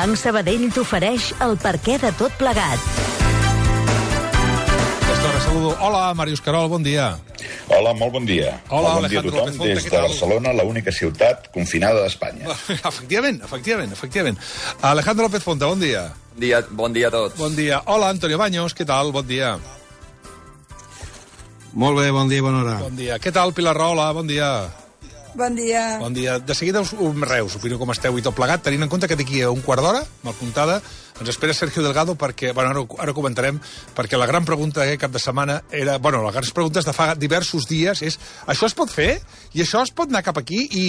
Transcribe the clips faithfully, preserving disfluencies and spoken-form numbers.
Banc Sabadell t'ofereix el perquè de tot plegat. Saludo. Hola, Màrius Carol, bon dia. Hola, molt bon dia. Hola, molt bon dia a tothom des de Barcelona, la única ciutat confinada d'Espanya. Efectivament, efectivament, efectivament. Alejandro López Fonte, bon dia. Bon dia, bon dia a tots. Bon dia. Hola, Antonio Baños, què tal? Bon dia. Molt bé, bon dia i bona hora. Bon dia. Què tal, Pilar Rahola? Bon dia. Bon dia. Bon dia. De seguida us, us reus, opino com esteu i tot plegat, tenint en compte que d'aquí a un quart d'hora, mal comptada, ens espera Sergio Delgado perquè, bueno, ara, ara ho comentarem, perquè la gran pregunta d'aquest cap de setmana era, bueno, les grans preguntes de fa diversos dies és, això es pot fer? I això es pot anar cap aquí? I,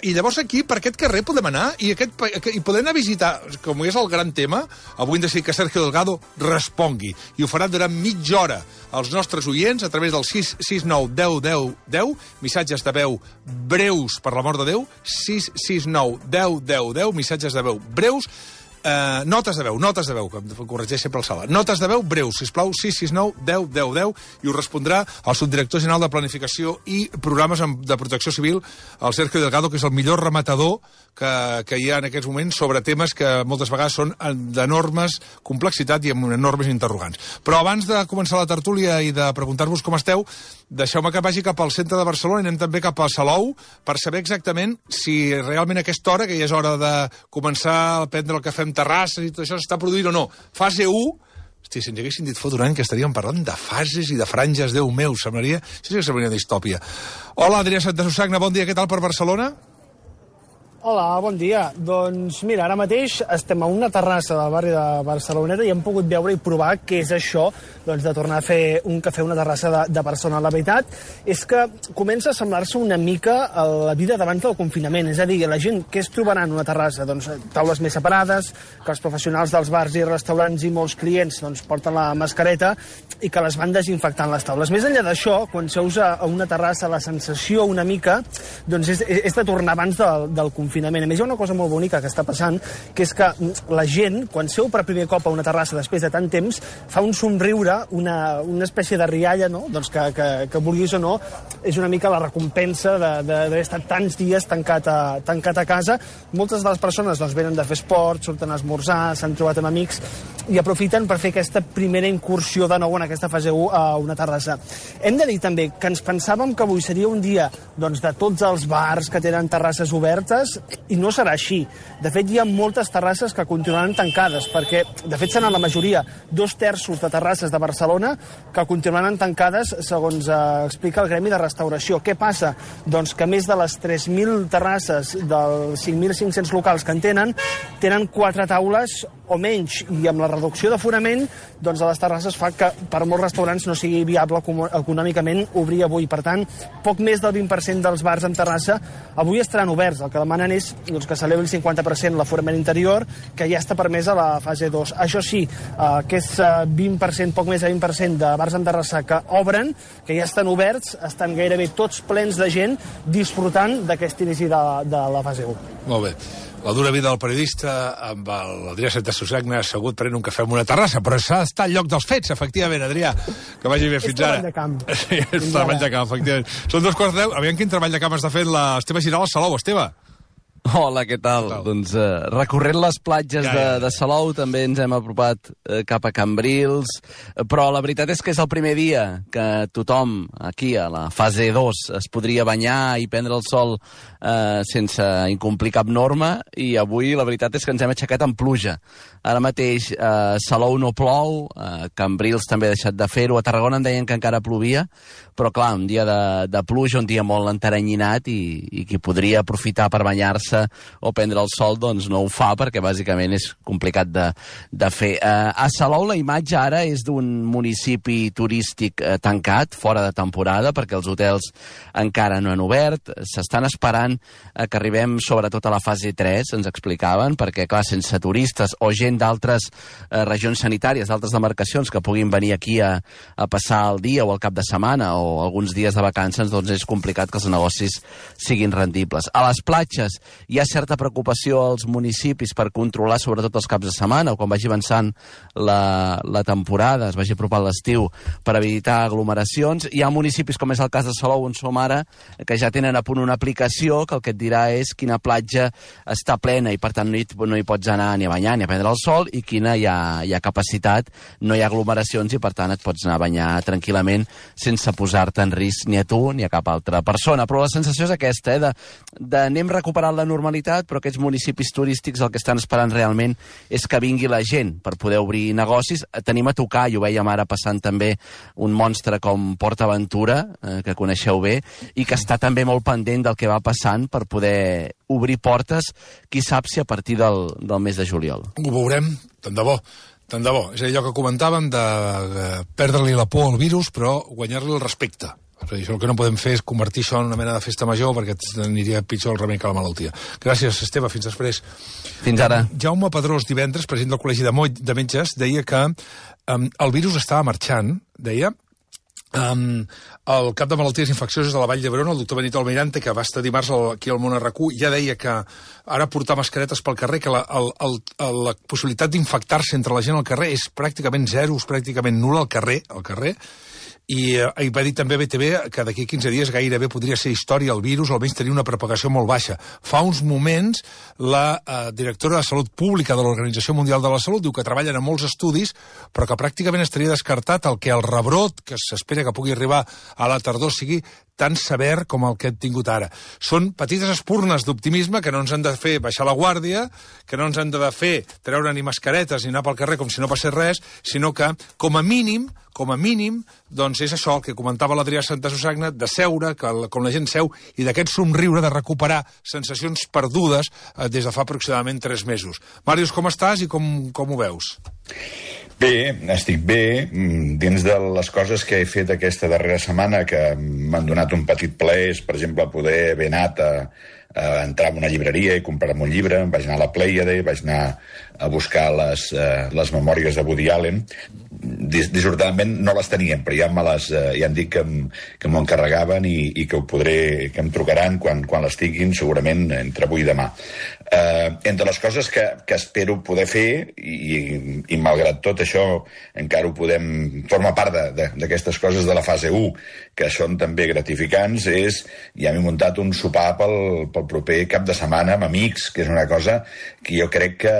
i llavors aquí, per aquest carrer podem anar? I, aquest, i podem anar a visitar, com és el gran tema, avui hem decidit que Sergio Delgado respongui. I ho farà durant mitja hora als nostres oients a través del sis sis nou deu deu deu, missatges de veu breus, per l'amor de Déu, sis sis nou deu deu deu, missatges de veu breus, Uh, notes de veu, notes de veu, que em corregeix sempre el Sala. Notes de veu breus, sisplau, sis sis nou deu deu deu, i us respondrà el subdirector general de Planificació i Programes de Protecció Civil, el Sergio Delgado, que és el millor rematador que, que hi ha en aquests moments sobre temes que moltes vegades són d'enormes complexitat i amb enormes interrogants. Però abans de començar la tertúlia i de preguntar-vos com esteu, deixeu-me que vagi cap al centre de Barcelona i anem també cap a Salou per saber exactament si realment a aquesta hora, que ja és hora de començar a prendre el cafè terrasses i tot això s'està produint o no. Fase u, hosti, si ens haguessin dit fot un any que estaríem parlant de fases i de franges, Déu meu, semblaria, això sí que semblaria distòpia. Hola, Adrià Santasusagna, bon dia, què tal per Barcelona? Hola, bon dia. Doncs mira, ara mateix estem a una terrassa del barri de Barceloneta i hem pogut veure i provar què és això doncs, de tornar a fer un cafè a una terrassa de, de Barcelona. La veritat és que comença a semblar-se una mica a la vida d'abans del confinament. És a dir, la gent què es trobarà en una terrassa? Doncs taules més separades, que els professionals dels bars i restaurants i molts clients doncs, porten la mascareta i que les van desinfectant les taules. Més enllà d'això, quan seus a una terrassa, la sensació una mica doncs, és, és de tornar abans del, del confinament. Confinament. A més, hi ha una cosa molt bonica que està passant, que és que la gent, quan seu per primer cop a una terrassa després de tant temps, fa un somriure, una, una espècie de rialla, no? Doncs que, que, que vulguis o no, és una mica la recompensa d'haver estat tants dies tancat a, tancat a casa. Moltes de les persones doncs, venen de fer esport, surten a esmorzar, s'han trobat amb amics i aprofiten per fer aquesta primera incursió de nou en aquesta fase u a una terrassa. Hem de dir també que ens pensàvem que avui seria un dia doncs, de tots els bars que tenen terrasses obertes, i no serà així. De fet, hi ha moltes terrasses que continuaran tancades, perquè, de fet, seran la majoria, dos terços de terrasses de Barcelona que continuaran tancades, segons eh, explica el Gremi de Restauració. Què passa? Doncs que més de les tres mil terrasses dels cinc mil cinc-cents locals que en tenen, tenen quatre taules o menys, i amb la reducció d'aforament, doncs a les terrasses fa que per molts restaurants no sigui viable econòmicament obrir avui. Per tant, poc més del vint per cent dels bars en terrassa avui estaran oberts. El que demanen és doncs, que s'elevi el cinquanta per cent l'aforament interior, que ja està permès a la fase dos. Això sí, eh, aquest vint per cent, poc més de vint per cent de bars en terrassa que obren, que ja estan oberts, estan gairebé tots plens de gent disfrutant d'aquest inici de, de la fase u. Molt bé. La dura vida del periodista amb l'Adrià Santasusagna assegut prenent un cafè en una terrassa, però s'ha d'estar al lloc dels fets, efectivament, Adrià. Que vagi bé fins ara. És treball de camp. Sí, és treball de camp, efectivament. Són dos quarts de deu. Aviam quin treball de camp està fent l'Esteve Giral a Salou. Esteve. Hola, què tal? Què tal? Doncs eh, recorrent les platges ja, ja. De, de Salou també ens hem apropat eh, cap a Cambrils, eh, però la veritat és que és el primer dia que tothom aquí a la fase dos es podria banyar i prendre el sol eh, sense incomplir cap norma, i avui la veritat és que ens hem aixecat amb pluja. Ara mateix eh, Salou no plou, eh, Cambrils també ha deixat de fer-ho, a Tarragona em deien que encara plovia, però clar, un dia de, de pluja, un dia molt enteranyinat, i, i qui podria aprofitar per banyar-se o prendre el sol, doncs no ho fa, perquè bàsicament és complicat de, de fer. Eh, a Salou la imatge ara és d'un municipi turístic eh, tancat, fora de temporada, perquè els hotels encara no han obert. S'estan esperant eh, que arribem sobretot a la fase tres, ens explicaven, perquè clar, sense turistes o gent d'altres eh, regions sanitàries, d'altres demarcacions que puguin venir aquí a, a passar el dia o el cap de setmana o, o alguns dies de vacances, doncs és complicat que els negocis siguin rendibles. A les platges hi ha certa preocupació als municipis per controlar sobretot els caps de setmana o quan vagi avançant la, la temporada, es vagi apropant l'estiu, per evitar aglomeracions. Hi ha municipis, com és el cas de Salou, on som ara, que ja tenen a punt una aplicació que el que et dirà és quina platja està plena i per tant no hi, no hi pots anar ni a banyar ni a prendre el sol i quina hi ha, hi ha capacitat, no hi ha aglomeracions i per tant et pots anar a banyar tranquil·lament sense posar-te en risc ni a tu ni a cap altra persona. Però la sensació és aquesta, eh, de, de anem recuperant la normalitat, però aquests municipis turístics el que estan esperant realment és que vingui la gent per poder obrir negocis. Tenim a tocar, i ho veiem ara passant també, un monstre com PortAventura, eh, que coneixeu bé, i que està també molt pendent del que va passant per poder obrir portes, qui sap si a partir del, del mes de juliol. Ho veurem, tant de bo. Tant de bo. És allò que comentàvem de, de perdre-li la por al virus, però guanyar-li el respecte. Això el que no podem fer és convertir això en una mena de festa major perquè aniria pitjor el remei que la malaltia. Gràcies, Esteve. Fins després. Fins ara. Jaume Pedrós, divendres, president del Col·legi de, Mo de Metges, deia que um, el virus estava marxant, deia, Um, el cap de malalties infeccioses de la Vall d'Hebron, el doctor Benito Almirante, que va estar dimarts aquí al Món R Q, ja deia que ara portar mascaretes pel carrer, que la, el, el, la possibilitat d'infectar-se entre la gent al carrer és pràcticament zero, és pràcticament nul al carrer, al carrer. I eh, va dir també a B T V que d'aquí quinze dies gairebé podria ser història el virus, o almenys tenir una propagació molt baixa. Fa uns moments, la eh, directora de Salut Pública de l'Organització Mundial de la Salut diu que treballen en molts estudis, però que pràcticament estaria descartat el que el rebrot, que s'espera que pugui arribar a la tardor, sigui tan sever com el que hem tingut ara. Són petites espurnes d'optimisme que no ens han de fer baixar la guàrdia, que no ens han de fer treure ni mascaretes ni anar pel carrer com si no passés res, sinó que, com a mínim, com a mínim, doncs és això el que comentava l'Adrià Santasusagna, de seure, que la, com la gent seu, i d'aquest somriure de recuperar sensacions perdudes eh, des de fa aproximadament tres mesos. Màrius, com estàs i com, com ho veus? Bé, estic bé. Dins de les coses que he fet aquesta darrera setmana, que m'han donat un petit plaer, és, per exemple, poder haver anat a, a entrar en una llibreria i comprar-me un llibre, vaig anar a la Plèiade, vaig anar a buscar les, uh, les memòries de Woody Allen. Dis dissortadament no les teníem, però ja me les, uh, ja em dic que, que m'ho encarregaven i, i que ho podré, que em trucaran quan, quan les tinguin, segurament entre avui i demà. Uh, entre les coses que, que espero poder fer, i, i, i malgrat tot això encara ho podem, forma part d'aquestes coses de la fase u, que són també gratificants, és, ja m'he muntat un sopar pel, pel proper cap de setmana amb amics, que és una cosa que jo crec que,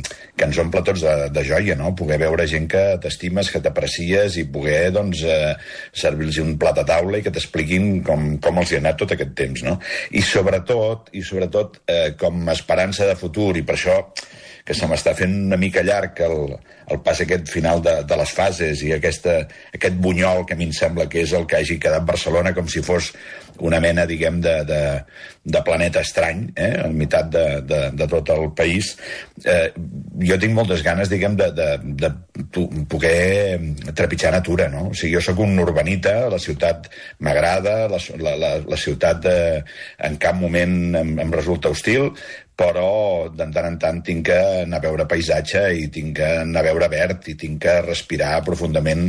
que ens omple tots de, de joia, no? Poder veure gent que t'estimes, que t'aprecies i poder, doncs, eh, servir-los un plat a taula i que t'expliquin com, com els hi ha anat tot aquest temps, no? I sobretot, i sobretot eh, com a esperança de futur, i per això que se m'està fent una mica llarg el, el pas aquest final de, de les fases i aquesta, aquest bunyol que a mi em sembla que és el que hagi quedat Barcelona com si fos una mena, diguem, de, de, de planeta estrany, eh, al meitat de, de, de tot el país. Eh, jo tinc moltes ganes, diguem, de, de, de poder trepitjar natura, no? O sigui, jo sóc un urbanita, la ciutat m'agrada, la, la, la, la ciutat de, en cap moment em, em resulta hostil, però de tant en tant tinc que anar a veure paisatge i tinc que anar a veure verd i tinc que respirar profundament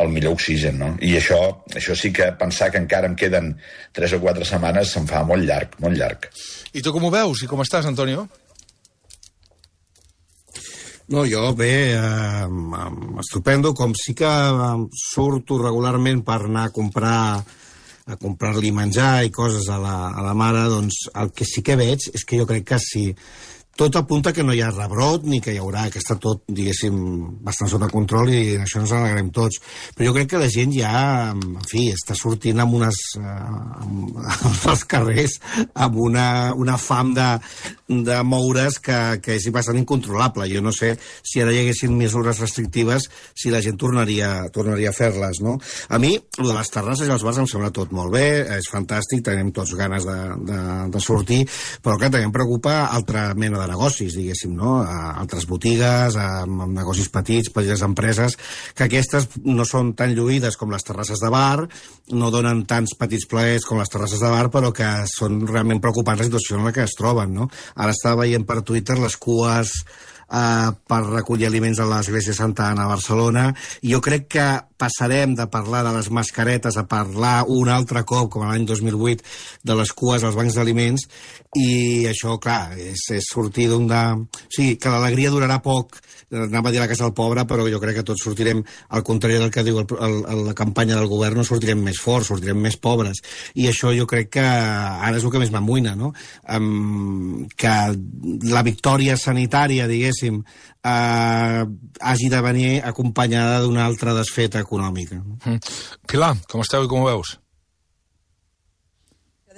el millor oxigen, no? I això, això sí que pensar que encara em queden tres o quatre setmanes se'm fa molt llarg, molt llarg. I tu com ho veus? I com estàs, Antonio? No, jo bé, eh, estupendo, com sí que surto regularment per anar a comprar a comprar-li menjar i coses a la, a la mare, doncs el que sí que veig és que jo crec que si tot apunta que no hi ha rebrot ni que hi haurà, que està tot, diguéssim, bastant sota control i això ens alegrem tots. Però jo crec que la gent ja, en fi, està sortint amb unes, eh, als carrers amb una, una fam de, de moure's que, que és bastant incontrolable. Jo no sé si ara hi haguessin mesures restrictives si la gent tornaria, tornaria a fer-les, no? A mi, el de les terrasses i els bars em sembla tot molt bé, és fantàstic, tenim tots ganes de, de, de sortir, però clar, també em preocupa altra mena de negocis, diguéssim, no? A altres botigues, a, a negocis petits, petites empreses, que aquestes no són tan lluïdes com les terrasses de bar, no donen tants petits plaers com les terrasses de bar, però que són realment preocupants la situació en la que es troben, no? Ara estava veient per Twitter les cues eh, per recollir aliments a l'església Santa Anna a Barcelona, i jo crec que passarem de parlar de les mascaretes a parlar un altre cop, com l'any dos mil vuit, de les cues als bancs d'aliments, i això, clar, és, és sortir d'un de... O sigui, que l'alegria durarà poc, anava a dir la casa del pobre, però jo crec que tots sortirem, al contrari del que diu el, el, la campanya del govern, no sortirem més forts, sortirem més pobres. I això jo crec que ara és el que més m'amoïna, no? Um, que la victòria sanitària, diguéssim, uh, hagi de venir acompanyada d'una altra desfeta econòmica. Mm. Pilar, com esteu i com ho veus?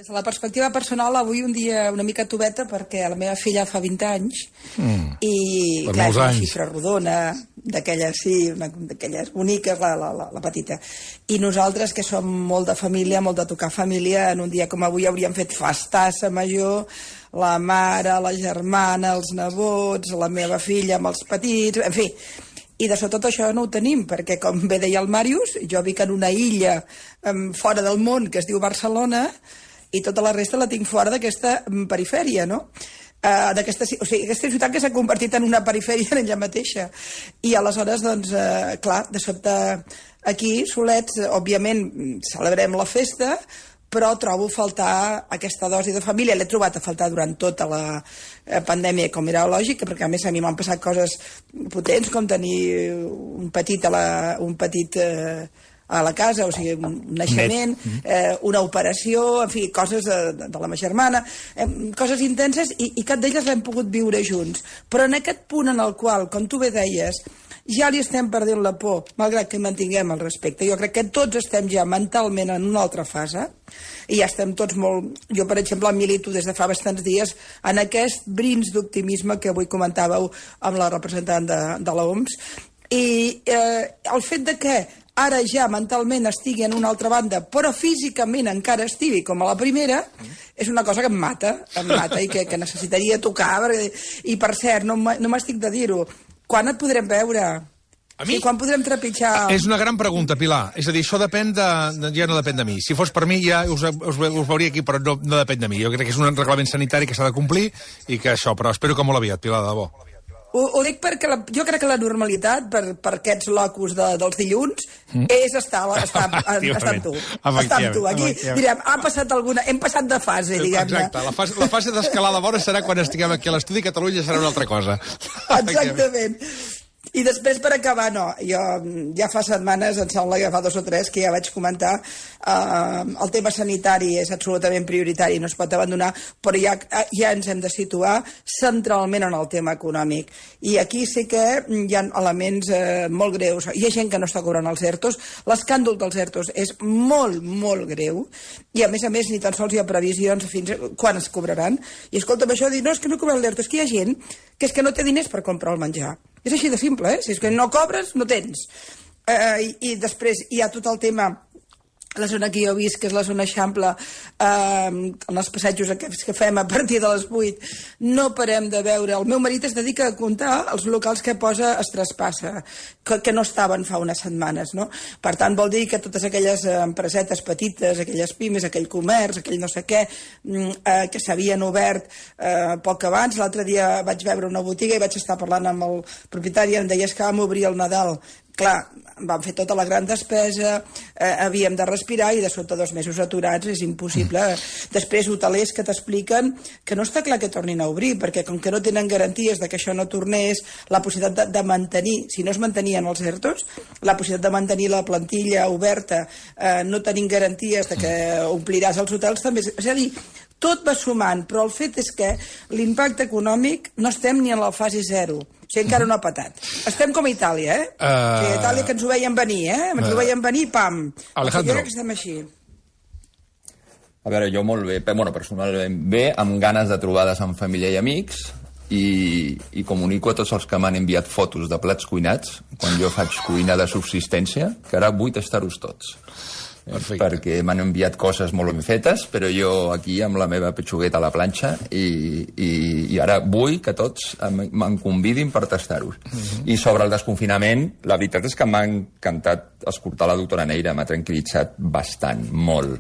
Des de la perspectiva personal, avui un dia una mica tubeta, perquè la meva filla fa vint anys, mm. i per clar, és una anys. xifra rodona, d'aquelles, sí, d'aquelles boniques, la, la, la, la petita. I nosaltres, que som molt de família, molt de tocar família, en un dia com avui hauríem fet festassa major, la mare, la germana, els nebots, la meva filla amb els petits, en fi. I de tot això no ho tenim, perquè, com bé deia el Màrius, jo vic en una illa um, fora del món que es diu Barcelona, i tota la resta la tinc fora d'aquesta perifèria, no? Uh, d'aquesta, o sigui, aquesta ciutat que s'ha convertit en una perifèria en ella mateixa. I aleshores, doncs, uh, clar, de sobte aquí, solets, òbviament, celebrem la festa, però trobo faltar aquesta dosi de família. L'he trobat a faltar durant tota la pandèmia, com era lògic, perquè a més a mi m'han passat coses potents, com tenir un petit a la... un petit... Eh, a la casa, o sigui, un naixement, eh, una operació, en fi, coses de, de, de la meva germana, eh, coses intenses, i, i cap d'elles l'hem pogut viure junts. Però en aquest punt en el qual, com tu bé deies, ja li estem perdent la por, malgrat que mantinguem el respecte. Jo crec que tots estem ja mentalment en una altra fase, i ja estem tots molt... Jo, per exemple, milito des de fa bastants dies en aquest brins d'optimisme que avui comentàveu amb la representant de, de l'O M S, i eh, el fet de que ara ja mentalment estigui en una altra banda, però físicament encara estigui com a la primera, és una cosa que em mata, em mata i que, que necessitaria tocar. Perquè... I, per cert, no, no m'estic de dir-ho, quan et podrem veure? A mi? Sí, quan podrem trepitjar... És una gran pregunta, Pilar. És a dir, això depèn de... ja no depèn de mi. Si fos per mi, ja us, us, us veuria aquí, però no, no depèn de mi. Jo crec que és un reglament sanitari que s'ha de complir i que això, però espero que molt aviat, Pilar, de debò. Ho, ho dic perquè la, jo crec que la normalitat per, per aquests locus de, dels dilluns mm. és estar, estar, estar amb tu. Estar amb tu. Aquí direm, ha passat alguna... Hem passat de fase, diguem-ne. Exacte. La fase, la fase d'escalada bona serà quan estiguem aquí a l'estudi Catalunya, serà una altra cosa. Exactament. I després, per acabar, no, jo ja fa setmanes, em sembla que fa dos o tres, que ja vaig comentar, eh, el tema sanitari és absolutament prioritari, no es pot abandonar, però ja, ja ens hem de situar centralment en el tema econòmic. I aquí sí que hi ha elements eh, molt greus. Hi ha gent que no està cobrant els ERTOs, l'escàndol dels ERTOs és molt, molt greu, i a més a més ni tan sols hi ha previsions fins quan es cobraran. I escolta'm, això de dir, no, és que no cobren l'ERTO, és que hi ha gent que és que no té diners per comprar el menjar. És així de simple, eh? Si és que no cobres, no tens. Eh, i, I després hi ha tot el tema, la zona que jo he vist, que és la zona Eixample, eh, en els passejos que fem a partir de les vuit, no parem de veure. El meu marit es dedica a comptar els locals que posa es traspassa, que, que no estaven fa unes setmanes, no? Per tant, vol dir que totes aquelles empresetes petites, aquelles pimes, aquell comerç, aquell no sé què, eh, que s'havien obert eh, poc abans. L'altre dia vaig veure una botiga i vaig estar parlant amb el propietari i em deia que vam obrir el Nadal. Clar, vam fer tota la gran despesa, eh, havíem de respirar i de sota dos mesos aturats és impossible. Mm. Després, hotelers que t'expliquen que no està clar que tornin a obrir, perquè com que no tenen garanties de que això no tornés, la possibilitat de, de mantenir, si no es mantenien els ERTOs, la possibilitat de mantenir la plantilla oberta, eh, no tenint garanties de que ompliràs els hotels també. És a dir, tot va sumant, però el fet és que l'impacte econòmic no estem ni en la fase zero. O sigui, encara no ha patat. Estem com a Itàlia, eh? Uh... O sigui, Itàlia que ens ho veiem venir, eh? Ens ho veiem venir, pam. Alejandro. Jo crec que estem així. A veure, jo molt bé, bueno, personalment bé, amb ganes de trobades amb família i amics, i, i comunico a tots els que m'han enviat fotos de plats cuinats, quan jo faig cuina de subsistència, que ara vull tastar-los tots. Perfecte. Perquè m'han enviat coses molt ben fetes, però jo aquí amb la meva petxugueta a la planxa i, i, i ara vull que tots me'n convidin per tastar-ho. Uh-huh. I sobre el desconfinament, la veritat és que m'ha encantat escoltar la doctora Neira, m'ha tranquil·litzat bastant, molt.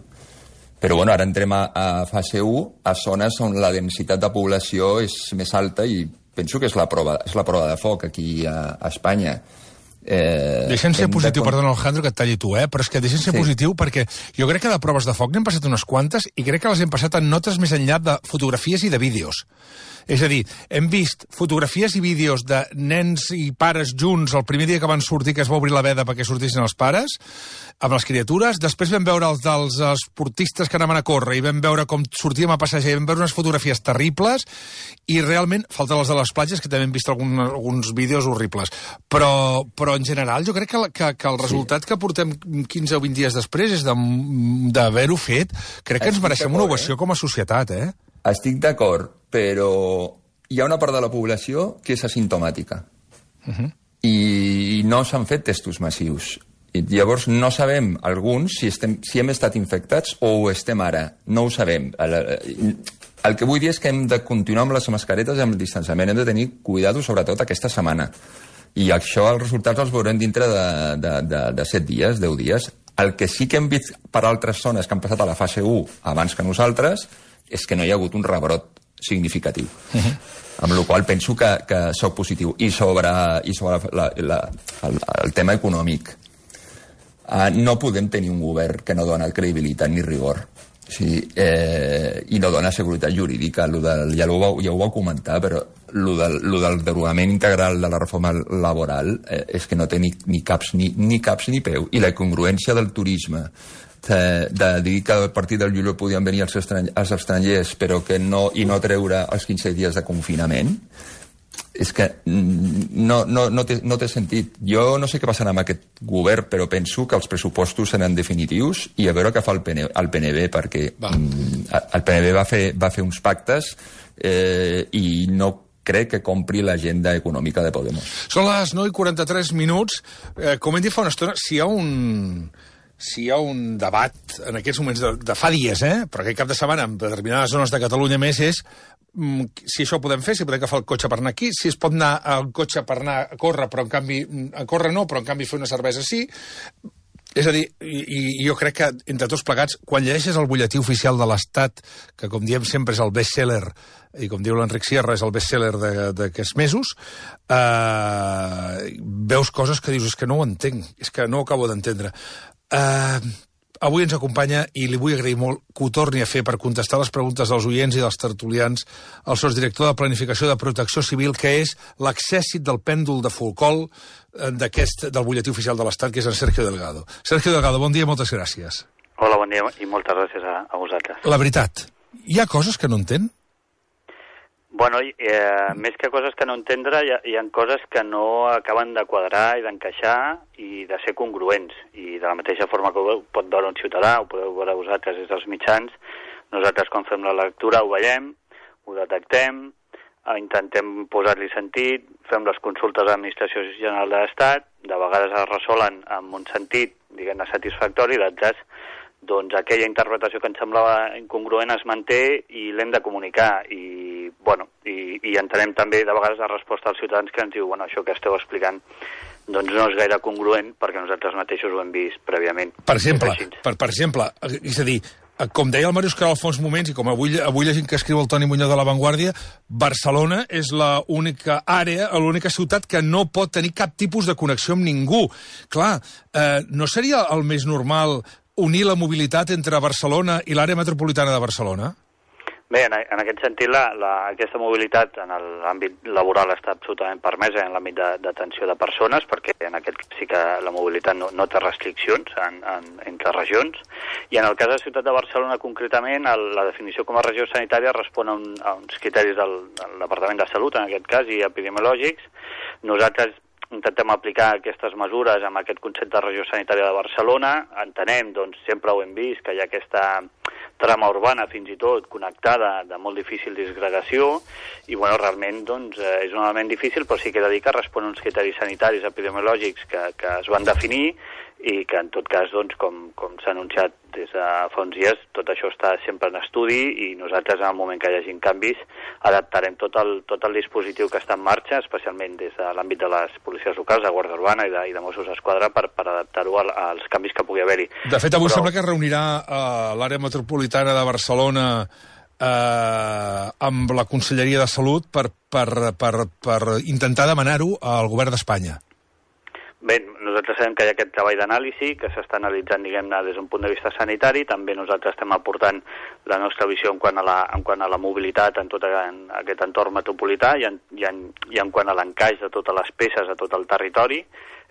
Però bueno, ara entrem a, a fase u, a zones on la densitat de població és més alta i penso que és la prova, és la prova de foc aquí a, a Espanya. Eh, deixem ser positiu, de... perdona Alejandro que et talli tu, eh? però és que deixem ser sí. positiu perquè jo crec que de proves de foc n'hem passat unes quantes i crec que les hem passat en notes més enllà de fotografies i de vídeos. És a dir, hem vist fotografies i vídeos de nens i pares junts el primer dia que van sortir, que es va obrir la veda perquè sortissin els pares, amb les criatures. Després vam veure els dels esportistes que anaven a córrer i vam veure com sortíem a passejar i vam veure unes fotografies terribles i realment, falten les de les platges, que també hem vist algun, alguns vídeos horribles. Però, però en general jo crec que, que, que el resultat sí. que portem quinze o vint dies després és d'haver-ho fet. Crec que ens mereixem una ovació eh? com a societat, eh? Estic d'acord, però hi ha una part de la població que és asimptomàtica. Uh-huh. I no s'han fet testos massius. I llavors no sabem, alguns, si, estem, si hem estat infectats o ho estem ara. No ho sabem. El, el que vull dir és que hem de continuar amb les mascaretes i amb el distanciament. Hem de tenir cuidado, sobretot aquesta setmana. I això, els resultats els veurem dintre de, de, de, de set dies, deu dies. El que sí que hem vist per altres zones que han passat a la fase u abans que nosaltres és que no hi ha hagut un rebrot significatiu. Uh-huh. Amb la qual penso que, que sóc positiu. I sobre, i sobre la, la, el, el tema econòmic. Uh, no podem tenir un govern que no dona credibilitat ni rigor. Sí, eh, i no dona seguretat jurídica. Lo del, ja, ho vau, ja ho vau comentar, però lo del, lo del derogament integral de la reforma laboral eh, és que no té ni, ni, caps, ni, ni caps ni peu. I la incongruència del turisme, de, de dir que a partir del juliol podien venir els, estrany, els estrangers però que no, i no treure els quinze dies de confinament, és que no, no, no, té, no té sentit. Jo no sé què passarà amb aquest govern, però penso que els pressupostos seran definitius i a veure què fa el, P N, el P N B, perquè va. el P N B va fer, va fer uns pactes eh, i no crec que compri l'agenda econòmica de Podemos. Són les nou i quaranta-tres minuts. Eh, com hem dit fa una estona, si hi ha un... si hi ha un debat en aquests moments de, de fa dies, eh? però aquest cap de setmana en determinades zones de Catalunya més és mm, si això ho podem fer, si podem agafar el cotxe per anar aquí, si es pot anar al cotxe per anar a córrer, però en canvi a córrer no, però en canvi fer una cervesa sí. És a dir, i, i jo crec que entre tots plegats, quan llegeixes el butlletí oficial de l'Estat, que com diem sempre és el best-seller, i com diu l'Enric Sierra és el best-seller d'aquests mesos, eh, veus coses que dius, és que no ho entenc, és que no ho acabo d'entendre. Uh, avui ens acompanya, i li vull agrair molt que ho torni a fer per contestar les preguntes dels oients i dels tertulians, el sotsdirector de Planificació de Protecció Civil, que és l'accèssit del pèndol de Folcol d'aquest, del butlletí oficial de l'Estat, que és en Sergio Delgado. Sergio Delgado, bon dia, moltes gràcies. Hola, bon dia i moltes gràcies a, a vosaltres. La veritat, hi ha coses que no entén? Bueno, eh, més que coses que no entendre, hi ha, hi ha coses que no acaben de quadrar i d'encaixar i de ser congruents. I de la mateixa forma que ho pot veure un ciutadà, ho podeu veure vosaltres des dels mitjans, nosaltres quan fem la lectura ho veiem, ho detectem, intentem posar-li sentit, fem les consultes a l'Administració General de l'Estat, de vegades es resolen amb un sentit, diguem-ne, satisfactori, d'altres doncs aquella interpretació que ens semblava incongruent es manté i l'hem de comunicar i, bueno, i, i entenem també de vegades la resposta als ciutadans que ens diu, bueno, això que esteu explicant doncs no és gaire congruent perquè nosaltres mateixos ho hem vist prèviament. Per exemple, per, per exemple, és a dir, com deia el Màrius Caral fa uns moments i com avui, avui la gent que escriu el Toni Muñoz de La Vanguardia, Barcelona és l'única àrea, l'única ciutat que no pot tenir cap tipus de connexió amb ningú. Clar, eh, no seria el més normal unir la mobilitat entre Barcelona i l'àrea metropolitana de Barcelona? Bé, en, en aquest sentit, la, la, aquesta mobilitat en l'àmbit laboral està absolutament permesa en l'àmbit d'atenció de, de persones, perquè en aquest sí que la mobilitat no, no té restriccions en, en, entre regions, i en el cas de la ciutat de Barcelona concretament, el, la definició com a regió sanitària respon a, un, a uns criteris del, del Departament de Salut, en aquest cas, i epidemiològics. Nosaltres intentem aplicar aquestes mesures amb aquest concepte de regió sanitària de Barcelona. Entenem, doncs, sempre ho hem vist, que hi ha aquesta trama urbana, fins i tot, connectada, de molt difícil disgregació, i, bueno, realment, doncs, és un element difícil, però sí que he de dir que respon a uns criteris sanitaris epidemiològics que, que es van definir i que, en tot cas, doncs, com, com s'ha anunciat des de fa uns dies, tot això està sempre en estudi i nosaltres, en el moment que hi hagi canvis, adaptarem tot el, tot el dispositiu que està en marxa, especialment des de l'àmbit de les policies locals, de Guàrdia Urbana i de, i de Mossos d'Esquadra, per, per adaptar-ho als canvis que pugui haver-hi. De fet, avui Però... sembla que es reunirà uh, l'àrea metropolitana de Barcelona eh, amb la Conselleria de Salut per, per, per, per intentar demanar-ho al govern d'Espanya. Bé, nosaltres sabem que hi ha aquest treball d'anàlisi que s'està analitzant, diguem-ne, des d'un punt de vista sanitari. També nosaltres estem aportant la nostra visió en quant a la, en quant a la mobilitat en tot en aquest entorn metropolità i en, i en, i en quant a l'encaix de totes les peces a tot el territori,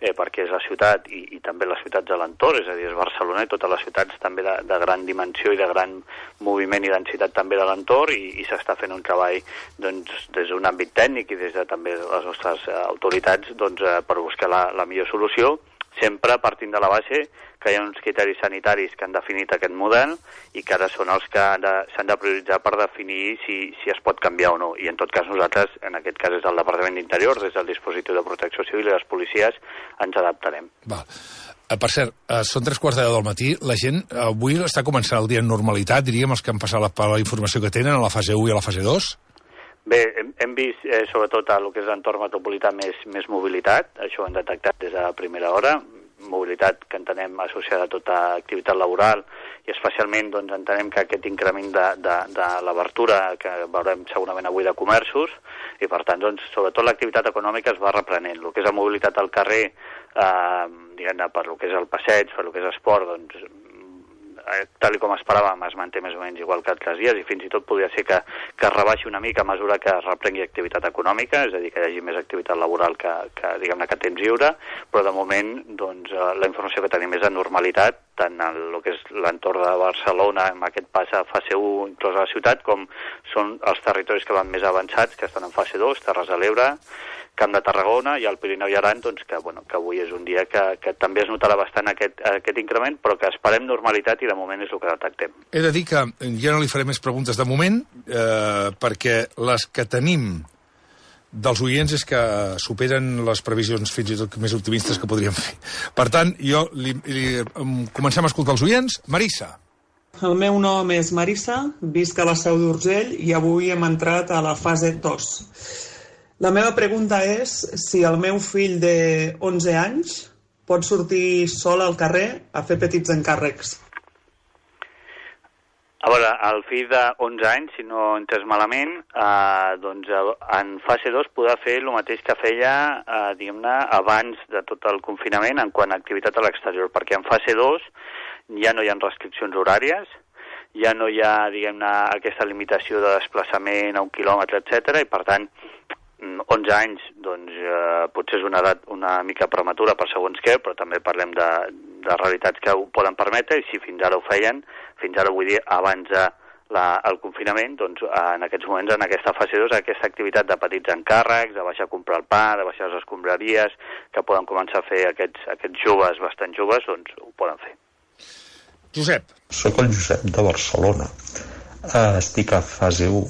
eh, perquè és la ciutat i, i també les ciutats de l'entorn, és a dir, és Barcelona i totes les ciutats també de, de gran dimensió i de gran moviment i densitat també de l'entorn, i, i s'està fent un treball doncs, des d'un àmbit tècnic i des de també les nostres eh, autoritats doncs, eh, per buscar la, la millor solució, sempre partint de la base que hi ha uns criteris sanitaris que han definit aquest model i que ara són els que s'han de, de prioritzar per definir si, si es pot canviar o no. I en tot cas nosaltres, en aquest cas és el Departament d'Interior, des del dispositiu de protecció civil i les policies, ens adaptarem. Val. Per cert, són tres quarts de deu del matí. La gent avui està començant el dia en normalitat, diríem, els que han passat la, per la informació que tenen a la fase u i a la fase dos? Bé, hem, hem vist eh, sobretot a el que és l'entorn metropolità més, més mobilitat, això ho hem detectat des de la primera hora, mobilitat que entenem associada a tota activitat laboral i especialment doncs, entenem que aquest increment de, de, de l'obertura que veurem segurament avui de comerços i per tant doncs, sobretot l'activitat econòmica es va reprenent. El que és la mobilitat al carrer, eh, diguem-ne, per el que és el passeig, per el que és esport, doncs tal com esperàvem, es manté més o menys igual que altres dies i fins i tot podria ser que, que es rebaixi una mica a mesura que es reprengui activitat econòmica, és a dir, que hi hagi més activitat laboral que, que diguem-ne, que temps lliure, però de moment doncs, la informació que tenim és de normalitat, tant en el que és l'entorn de Barcelona, amb aquest pas a fase u, inclòs a la ciutat, com són els territoris que van més avançats, que estan en fase dos, Terres de l'Ebre, Camp de Tarragona i el Pirineu i Aran, doncs, que, bueno, que avui és un dia que, que també es notarà bastant aquest, aquest increment, però que esperem normalitat i de moment és el que detectem. He de dir que ja no li faré més preguntes de moment, eh, perquè les que tenim dels oients és que superen les previsions fins i tot més optimistes que podríem fer. Per tant, jo li, li, comencem a escoltar els oients. Marissa. El meu nom és Marissa, visc a la Seu d'Urgell i avui hem entrat a la fase dos. La meva pregunta és si el meu fill de onze anys pot sortir sol al carrer a fer petits encàrrecs. A veure, el fill de onze anys, si no he entès malament, eh, doncs en fase dos podrà fer el mateix que feia, eh, diguem-ne, abans de tot el confinament en quant a activitat a l'exterior, perquè en fase dos ja no hi ha restriccions horàries, ja no hi ha, diguem-ne, aquesta limitació de desplaçament a un quilòmetre, etcètera, i per tant onze anys, doncs, eh, potser és una edat una mica prematura per segons què, però també parlem de, de realitats que ho poden permetre, i si fins ara ho feien, fins ara vull dir, abans de la, el confinament, doncs, en aquests moments, en aquesta fase dos, aquesta activitat de petits encàrrecs, de baixar a comprar el pa, de baixar les escombraries, que poden començar a fer aquests, aquests joves, bastant joves, doncs ho poden fer. Josep. Soc el Josep de Barcelona. Uh, estic a fase u.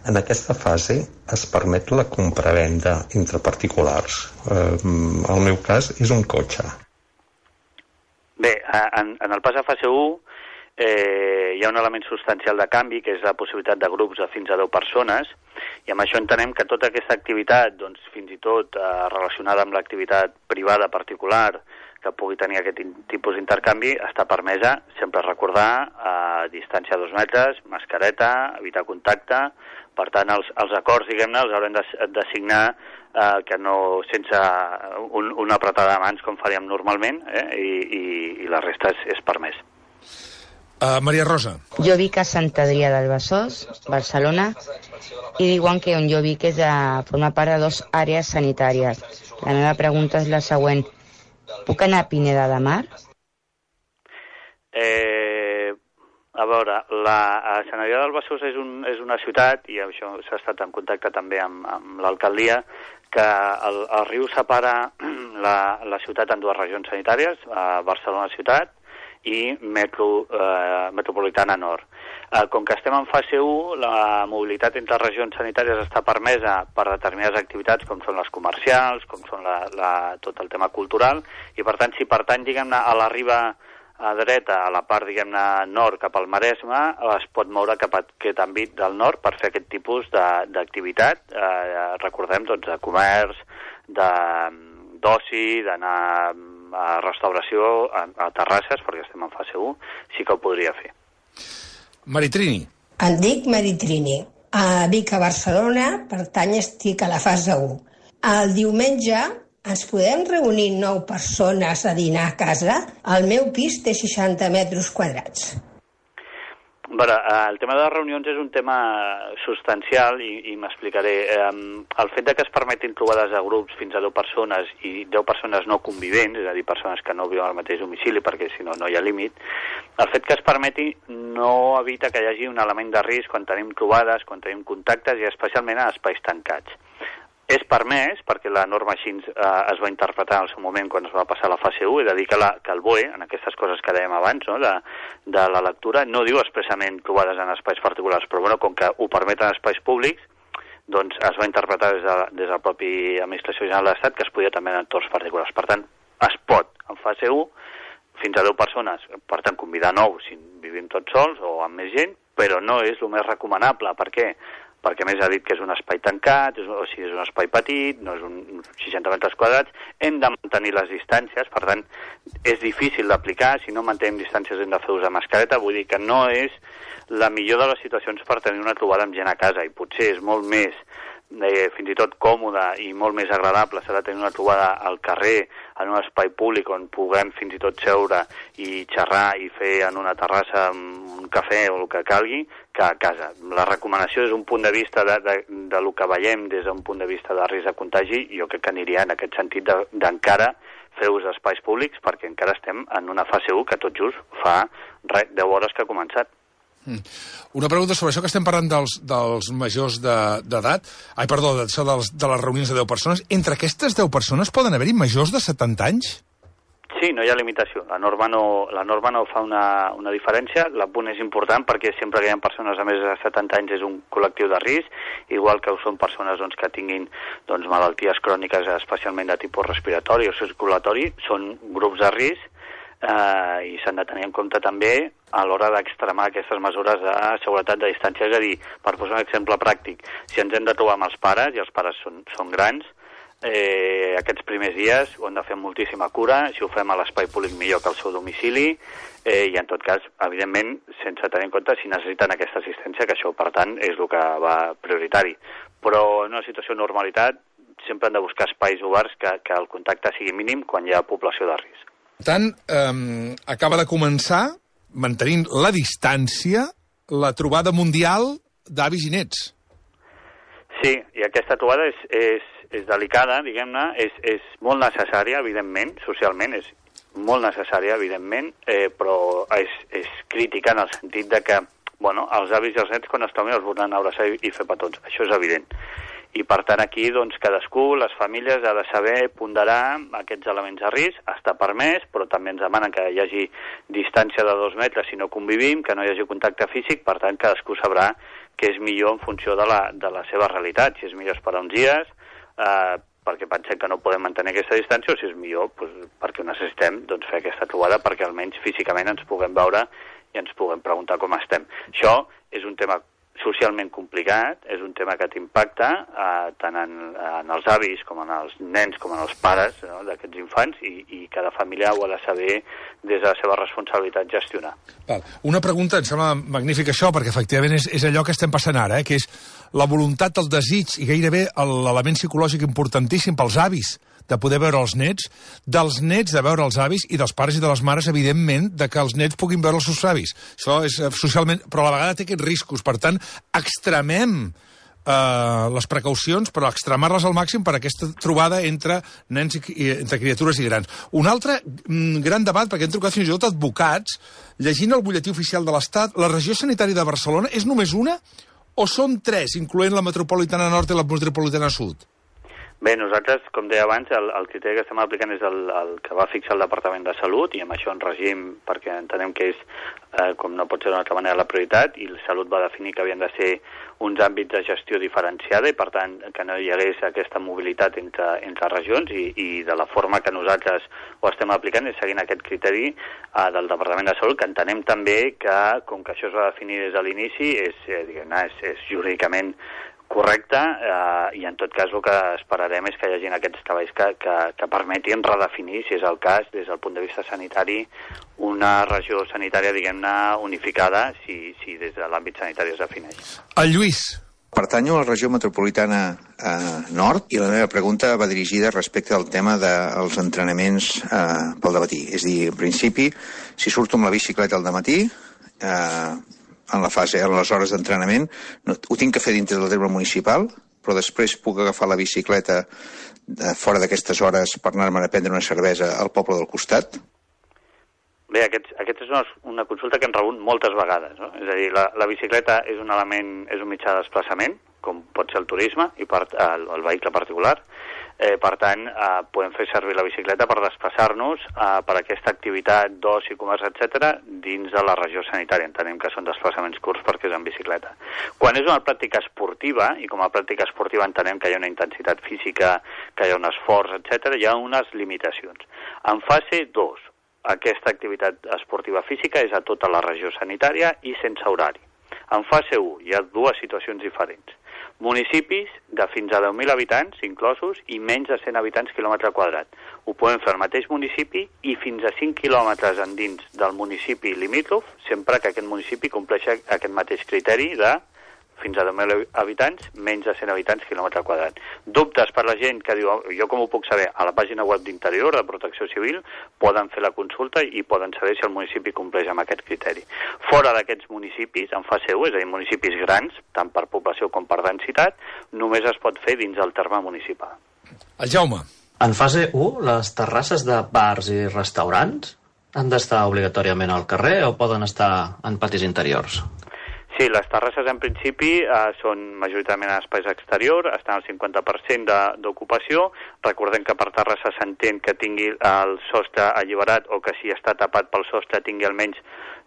En aquesta fase es permet la compravenda entre particulars. Eh, el meu cas és un cotxe. Bé, en, en el pas a fase u eh, hi ha un element substancial de canvi, que és la possibilitat de grups de fins a deu persones, i amb això entenem que tota aquesta activitat, doncs, fins i tot eh, relacionada amb l'activitat privada particular, que pugui tenir aquest tipus d'intercanvi, està permesa, sempre recordar, a distància de dos metres, mascareta, evitar contacte. Per tant, els, els acords, diguem-ne, els haurem de, de signar eh, que no sense un, una apretada de mans com faríem normalment, eh, i, i, i la resta és, és permès. Uh, Maria Rosa. Jo vic a Sant Adrià del Besòs, Barcelona, i diuen que on jo vic és a formar part de dues àrees sanitàries. La meva pregunta és la següent. Puc anar a Pineda de Mar? Eh, a veure, la a Sant Adrià del Besòs és, un, és una ciutat, i això s'ha estat en contacte també amb, amb l'alcaldia, que el, el riu separa la, la ciutat en dues regions sanitàries, a Barcelona ciutat i metro, eh, metropolitana nord. Eh, com que estem en fase u, la mobilitat entre regions sanitàries està permesa per determinades activitats com són les comercials, com són la, la, tot el tema cultural, i per tant, si pertany, diguem-ne, a la riba a dreta, a la part, diguem-ne, nord cap al Maresme, es pot moure cap a aquest àmbit del nord per fer aquest tipus d'activitat, eh, recordem, doncs, de comerç, de d'oci, d'anar a restauració, a, a terrasses, perquè estem en fase u, sí que ho podria fer. Maritrini. Em dic Maritrini. Uh, vic a Barcelona, per tant estic a la fase u. El diumenge ens podem reunir nou persones a dinar a casa? El meu pis té seixanta metres quadrats. Bueno, el tema de les reunions és un tema substancial i, i m'explicaré. El fet de que es permetin trobades de grups fins a deu persones i deu persones no convivents, és a dir, persones que no viuen al mateix domicili perquè si no no hi ha límit, el fet que es permeti no evita que hi hagi un element de risc quan tenim trobades, quan tenim contactes i especialment a espais tancats. És permès, perquè la norma així eh, es va interpretar en el seu moment quan es va passar la fase u, és a dir, que, la, que el B O E, en aquestes coses que dèiem abans, no, de, de la lectura, no diu expressament trobades en espais particulars, però bueno, com que ho permeten espais públics, doncs es va interpretar des de, des de la pròpia Administració General de l'Estat que es podia també en entorns particulars. Per tant, es pot, en fase u, fins a deu persones, per tant, convidar nou si vivim tots sols o amb més gent, però no és el més recomanable. Per què? Perquè més ha dit que és un espai tancat, o sigui, és un espai petit, no és un seixanta metres quadrats, hem de mantenir les distàncies, per tant, és difícil d'aplicar, si no mantenim distàncies hem de fer ús de mascareta, vull dir que no és la millor de les situacions per tenir una trobada amb gent a casa, i potser és molt més, eh, fins i tot còmode i molt més agradable s'ha de tenir una trobada al carrer, en un espai públic on puguem fins i tot seure i xerrar i fer en una terrassa un cafè o el que calgui, que a casa. La recomanació des d'un punt de vista de, de, de lo que veiem des d'un punt de vista de risc de contagi, jo crec que aniria en aquest sentit d'encara fer ús d'espais públics perquè encara estem en una fase u que tot just fa re, deu hores que ha començat. Mm. Una pregunta sobre això que estem parlant dels, dels majors d'edat, de, ai, perdó, de, dels, de les reunions de deu persones. Entre aquestes deu persones poden haver-hi majors de setanta anys? Sí, no hi ha limitació. La norma no, la norma no fa una, una diferència. L'apunt és important perquè sempre que hi ha persones de més de setanta anys és un col·lectiu de risc, igual que ho són persones doncs, que tinguin doncs, malalties cròniques, especialment de tipus respiratori o circulatori, són grups de risc eh, i s'han de tenir en compte també a l'hora d'extremar aquestes mesures de seguretat de distància. És a dir, per posar un exemple pràctic, si ens hem de trobar amb els pares, i els pares són, són grans, Eh, aquests primers dies ho hem de fer moltíssima cura, si ho fem a l'espai públic millor que al seu domicili, eh, i en tot cas, evidentment, sense tenir en compte si necessiten aquesta assistència, que això, per tant, és el que va prioritari. Però en una situació de normalitat sempre hem de buscar espais oberts que, que el contacte sigui mínim quan hi ha població de risc. Per tant, eh, acaba de començar, mantenint la distància, la trobada mundial d'avis i nets. Sí, i aquesta trobada és, és és delicada, diguem-ne, és, és molt necessària, evidentment, socialment, és molt necessària, evidentment, eh, però és, és crítica en el sentit de que, bueno, els avis i els nets, quan es trobin, els volen abraçar i, i fer petons. Això és evident. I, per tant, aquí, doncs, cadascú, les famílies, ha de saber ponderar aquests elements de risc. Està permès, però també ens demanen que hi hagi distància de dos metres si no convivim, que no hi hagi contacte físic, per tant, cadascú sabrà què és millor en funció de la, de la seva realitat. Si és millor esperar uns dies, Uh, perquè pensem que no podem mantenir aquesta distància, o si és millor doncs, perquè ho necessitem doncs, fer aquesta trobada perquè almenys físicament ens puguem veure i ens puguem preguntar com estem. Això és un tema socialment complicat, és un tema que t'impacta eh, tant en, en els avis com en els nens com en els pares, no, d'aquests infants, i, i cada família ho ha de saber des de la seva responsabilitat gestionar. Val. Una pregunta, em sembla magnífic això, perquè efectivament és, és allò que estem passant ara, eh, que és la voluntat, el desig i gairebé l'element psicològic importantíssim pels avis de poder veure els nets, dels nets de veure els avis i dels pares i de les mares, evidentment, de que els nets puguin veure els seus avis. Això és socialment... Però a la vegada té aquests riscos. Per tant, extremem eh, les precaucions, però extremar-les al màxim per a aquesta trobada entre nens i, i entre criatures i grans. Un altre mm, gran debat, perquè hem trucat fins i tot advocats, llegint el butlletí oficial de l'Estat, la regió sanitària de Barcelona és només una o són tres, incloent la metropolitana nord i la metropolitana sud? Bé, nosaltres, com deia abans, el, el criteri que estem aplicant és el, el que va fixar el Departament de Salut, i amb això en regim, perquè entenem que és, eh, com no pot ser d'una altra manera, la prioritat, i la Salut va definir que havien de ser uns àmbits de gestió diferenciada, i per tant que no hi hagués aquesta mobilitat entre, entre regions, i, i de la forma que nosaltres ho estem aplicant és seguint aquest criteri eh, del Departament de Salut, que entenem també que, com que això es va definir des de l'inici, és, eh, diguem-ne, és, és jurídicament correcte, eh, i en tot cas el que esperarem és que hi hagi aquests treballs que, que, que permetin redefinir, si és el cas, des del punt de vista sanitari, una regió sanitària, diguem-ne, unificada, si, si des de l'àmbit sanitari es defineix. El Lluís, Pertanyo a la regió metropolitana eh, nord i la meva pregunta va dirigida respecte al tema dels entrenaments eh, pel dematí. És a dir, en principi, si surto amb la bicicleta al dematí, eh, en la fase, en les hores d'entrenament, no, ho tinc que fer dintre del terme municipal, però després puc agafar la bicicleta de, fora d'aquestes hores per anar-me'n a prendre una cervesa al poble del costat? Bé, aquest, aquest és una, una consulta que hem rebut moltes vegades, no? És a dir, la, la bicicleta és un element, és un mitjà de desplaçament, com pot ser el turisme i per, el, el vehicle particular. Eh, per tant, eh, podem fer servir la bicicleta per desplaçar-nos eh, per aquesta activitat d'oci, comerç, etcètera, dins de la regió sanitària. Entenem que són desplaçaments curts perquè és en bicicleta. Quan és una pràctica esportiva, i com a pràctica esportiva entenem que hi ha una intensitat física, que hi ha un esforç, etcètera, hi ha unes limitacions. En fase dos, aquesta activitat esportiva física és a tota la regió sanitària i sense horari. En fase un hi ha dues situacions diferents. Municipis de fins a deu mil habitants inclosos i menys de cent habitants quilòmetre quadrat. Ho podem fer al mateix municipi i fins a cinc quilòmetres endins del municipi limítrof, sempre que aquest municipi compleixi aquest mateix criteri de fins a deu mil habitants, menys de cent habitants quilòmetre quadrat. Dubtes per la gent que diu, jo com ho puc saber? A la pàgina web d'Interior, de Protecció Civil, poden fer la consulta i poden saber si el municipi compleix amb aquest criteri. Fora d'aquests municipis, en fase un, és a dir, municipis grans, tant per població com per densitat, només es pot fer dins del terme municipal. El Jaume. En fase un, les terrasses de bars i restaurants han d'estar obligatòriament al carrer o poden estar en patis interiors? Sí, les terrasses en principi eh, són majoritàriament en espais exterior, estan al cinquanta per cent d'ocupació. Recordem que per terrassa s'entén que tingui el sostre alliberat o que si està tapat pel sostre tingui almenys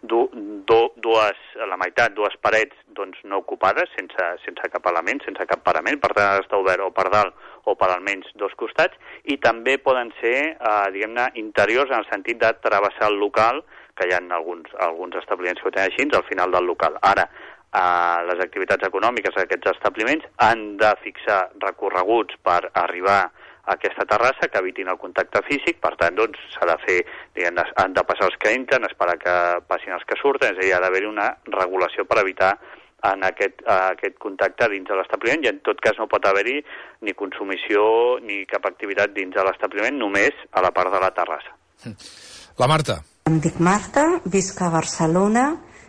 du, du, dues, la meitat, dues parets doncs, no ocupades, sense, sense cap element, sense cap parament, per tant ha d'estar obert o per dalt o per almenys dos costats, i també poden ser, eh, diguem-ne, interiors en el sentit de travessar el local, que hi ha alguns, alguns establiments que ho tenen així, al final del local. Ara, eh, les activitats econòmiques d'aquests establiments han de fixar recorreguts per arribar a aquesta terrassa que evitin el contacte físic, per tant, doncs, s'ha de fer, diguem, han de passar els que entren, esperar que passin els que surten, és a dir, ha d'haver-hi una regulació per evitar en aquest, uh, aquest contacte dins de l'establiment, i en tot cas no pot haver-hi ni consumició ni cap activitat dins de l'establiment, només a la part de la terrassa. La Marta. Em dic Marta, visc a Barcelona,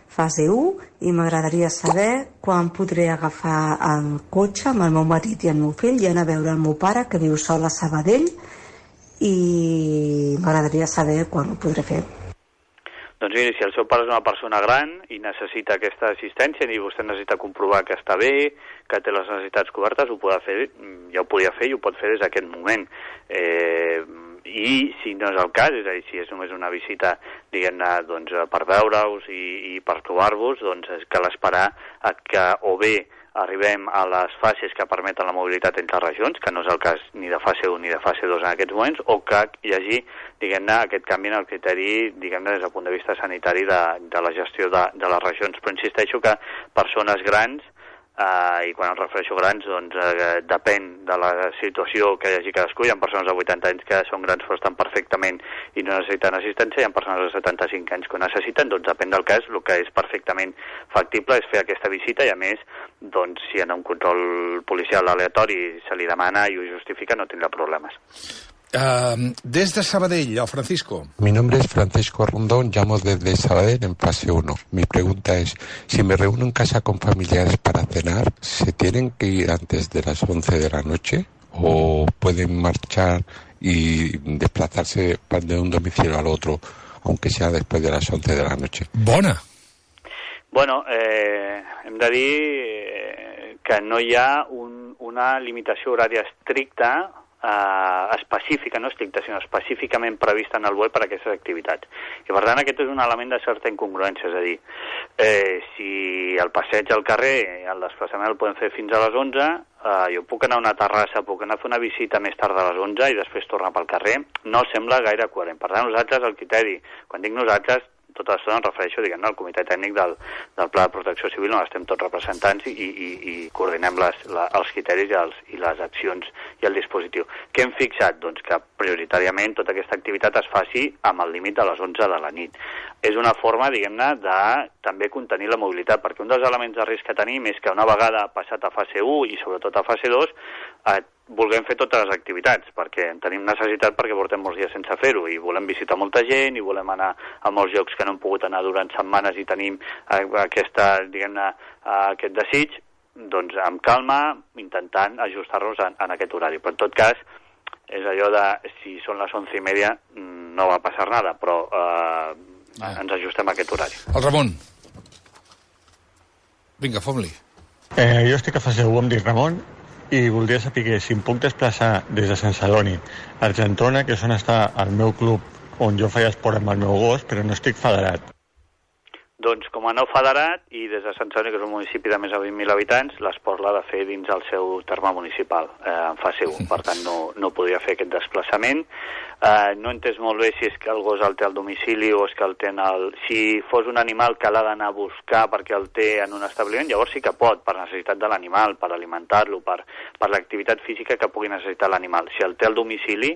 fase un, i m'agradaria saber quan podré agafar el cotxe amb el meu marit i el meu fill i anar a veure el meu pare, que viu sol a Sabadell, i m'agradaria saber quan ho podré fer. Doncs miri, si el seu pare és una persona gran i necessita aquesta assistència i vostè necessita comprovar que està bé, que té les necessitats cobertes, ho podrà fer, ja ho podia fer i ho pot fer des d'aquest moment. Eh, I si no és el cas, és a dir, si és només una visita, diguem-ne, doncs, per veure-us i, i per trobar-vos, doncs cal esperar a que o bé arribem a les fases que permeten la mobilitat entre regions, que no és el cas ni de fase un ni de fase dos en aquests moments, o que hi hagi, diguem-ne, aquest canvi en el criteri, diguem-ne, des del punt de vista sanitari de, de la gestió de, de les regions. Però insisteixo que persones grans, Uh, i quan em refereixo grans, doncs uh, depèn de la situació que hi hagi cadascú. Hi ha persones de vuitanta anys que són grans però estan perfectament i no necessiten assistència, hi ha persones de setanta-cinc anys que ho necessiten, doncs depèn del cas. El que és perfectament factible és fer aquesta visita i, a més, doncs, si en un control policial aleatori se li demana i ho justifica, no tindrà problemes. Uh, desde Sabadell, a Francisco. Mi nombre es Francisco Rondón, llamo desde Sabadell en fase uno. Mi pregunta es, si me reúno en casa con familiares para cenar, ¿se tienen que ir antes de las once de la noche o pueden marchar y desplazarse de un domicilio al otro, aunque sea después de las once de la noche? Bona. Bueno, eh, hem de dir eh, que no hi ha un, una limitació horària estricta Uh, específica, no estricta, sinó específicament prevista en el B O E per a aquestes activitats. I per tant aquest és un element de certa incongruència, és a dir, eh, si el passeig al carrer, el desplaçament el podem fer fins a les onze, uh, jo puc anar a una terrassa, puc anar a fer una visita més tard a les onze i després tornar pel carrer, no sembla gaire coherent. Per tant, nosaltres el criteri, quan dic nosaltres, tota l'estona em refereixo, diguem-ne, al comitè tècnic del, del Pla de Protecció Civil, on estem tots representants i, i, i coordinem les, la, els criteris i, els, i les accions i el dispositiu. Què hem fixat? Doncs que prioritàriament tota aquesta activitat es faci amb el límit de les onze de la nit. És una forma, diguem-ne, de també contenir la mobilitat, perquè un dels elements de risc que tenim és que una vegada passat a fase u i sobretot a fase dos, eh, vulguem fer totes les activitats, perquè en tenim necessitat perquè portem molts dies sense fer-ho i volem visitar molta gent i volem anar a molts llocs que no hem pogut anar durant setmanes i tenim eh, aquesta, diguem-ne, eh, aquest desig, doncs amb calma, intentant ajustar-nos en, en aquest horari. Però en tot cas, és allò de si són les onze i media no va passar nada, però eh, ah. ens ajustem a aquest horari. El Ramon. Vinga, fom-li. Eh, jo estic a fase u, em dic Ramon, i voldria saber si em puc desplaçar des de Sant Celoni a Argentona, que és on està el meu club, on jo feia esport amb el meu gos, però no estic federat. Doncs com a no federat, i des de Sant Celoni, que és un municipi de més de vint mil habitants, l'esport l'ha de fer dins el seu terme municipal, eh, en fase u. Per tant, no, no podria fer aquest desplaçament. Eh, no he entès molt bé si és que el gos el té al domicili o és que el té en el... Si fos un animal que l'ha d'anar a buscar perquè el té en un establiment, llavors sí que pot, per necessitat de l'animal, per alimentar-lo, per, per l'activitat física que pugui necessitar l'animal. Si el té al domicili,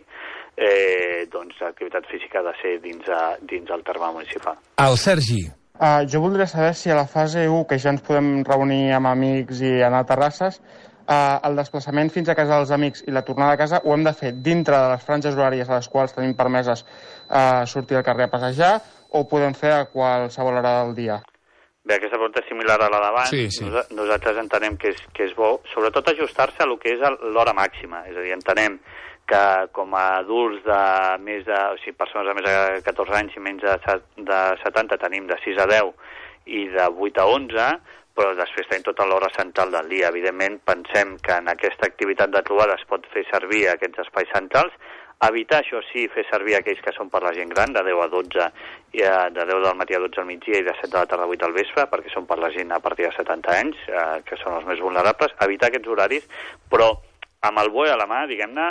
eh, doncs l'activitat física ha de ser dins, a, dins el terme municipal. El Sergi. Uh, jo voldria saber si a la fase u, que ja ens podem reunir amb amics i anar a terrasses, uh, el desplaçament fins a casa dels amics i la tornada a casa ho hem de fer dintre de les franges horàries a les quals tenim permeses uh, sortir al carrer a passejar, o ho podem fer a qualsevol hora del dia? Bé, aquesta pregunta és similar a la d'abans. Sí, sí. Nos nosaltres entenem que és, que és bo, sobretot ajustar-se a lo que és l'hora màxima. És a dir, entenem que com a adults de més de, o sigui, persones de més de catorze anys i menys de, de setanta tenim de sis a deu i de vuit a onze, però després tenim tota l'hora central del dia. Evidentment, pensem que en aquesta activitat de trobada es pot fer servir aquests espais centrals, evitar, això sí, fer servir aquells que són per la gent gran, de deu a dotze, i de deu del matí a dotze al migdia i de set de la tarda a vuit al vespre, perquè són per la gent a partir de setanta anys, eh, que són els més vulnerables, evitar aquests horaris, però amb el bo i a la mà, diguem-ne,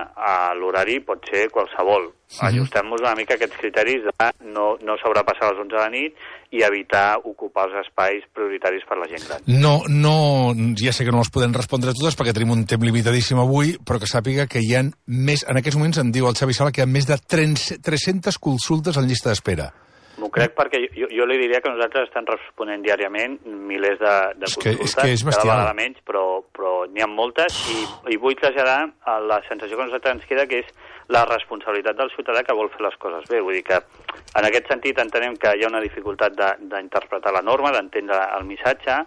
l'horari pot ser qualsevol. Ajustem-nos una mica a aquests criteris de no, no sobrepassar les onze de la nit i evitar ocupar els espais prioritaris per la gent gran. No, no, ja sé que no les podem respondre totes perquè tenim un temps limitadíssim avui, però que sàpiga que hi ha més, en aquests moments em diu el Xavi Sala que hi ha més de tres-centes consultes en llista d'espera. M'ho crec perquè jo, jo li diria que nosaltres estem responent diàriament milers de, de és consultes, que, és que és cada vegada menys, però, però n'hi ha moltes i, i vull traslladar a la sensació que a nosaltres ens queda, que és la responsabilitat del ciutadà que vol fer les coses bé. Vull dir que en aquest sentit entenem que hi ha una dificultat d'interpretar la norma, d'entendre el missatge,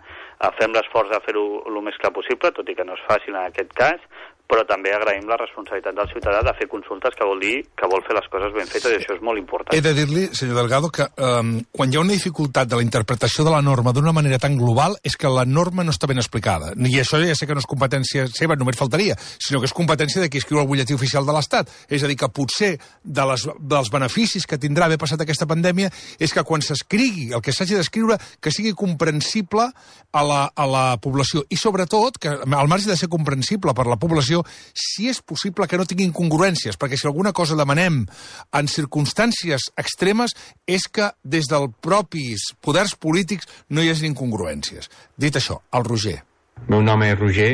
fem l'esforç de fer-ho el més clar possible, tot i que no és fàcil en aquest cas, però també agraïm la responsabilitat del ciutadà de fer consultes, que vol dir que vol fer les coses ben fetes, i això és molt important. He de dir-li, senyor Delgado, que um, quan hi ha una dificultat de la interpretació de la norma d'una manera tan global és que la norma no està ben explicada. I això ja sé que no és competència seva, només faltaria, sinó que és competència de qui escriu el butlletí oficial de l'Estat. És a dir, que potser de les, dels beneficis que tindrà haver passat aquesta pandèmia és que quan s'escrigui el que s'hagi d'escriure, que sigui comprensible a la, a la població. I sobretot, que al marge de ser comprensible per la població, si és possible que no tingui incongruències, perquè si alguna cosa demanem en circumstàncies extremes és que des dels propis poders polítics no hi hagi incongruències. Dit això, el Roger. El meu nom és Roger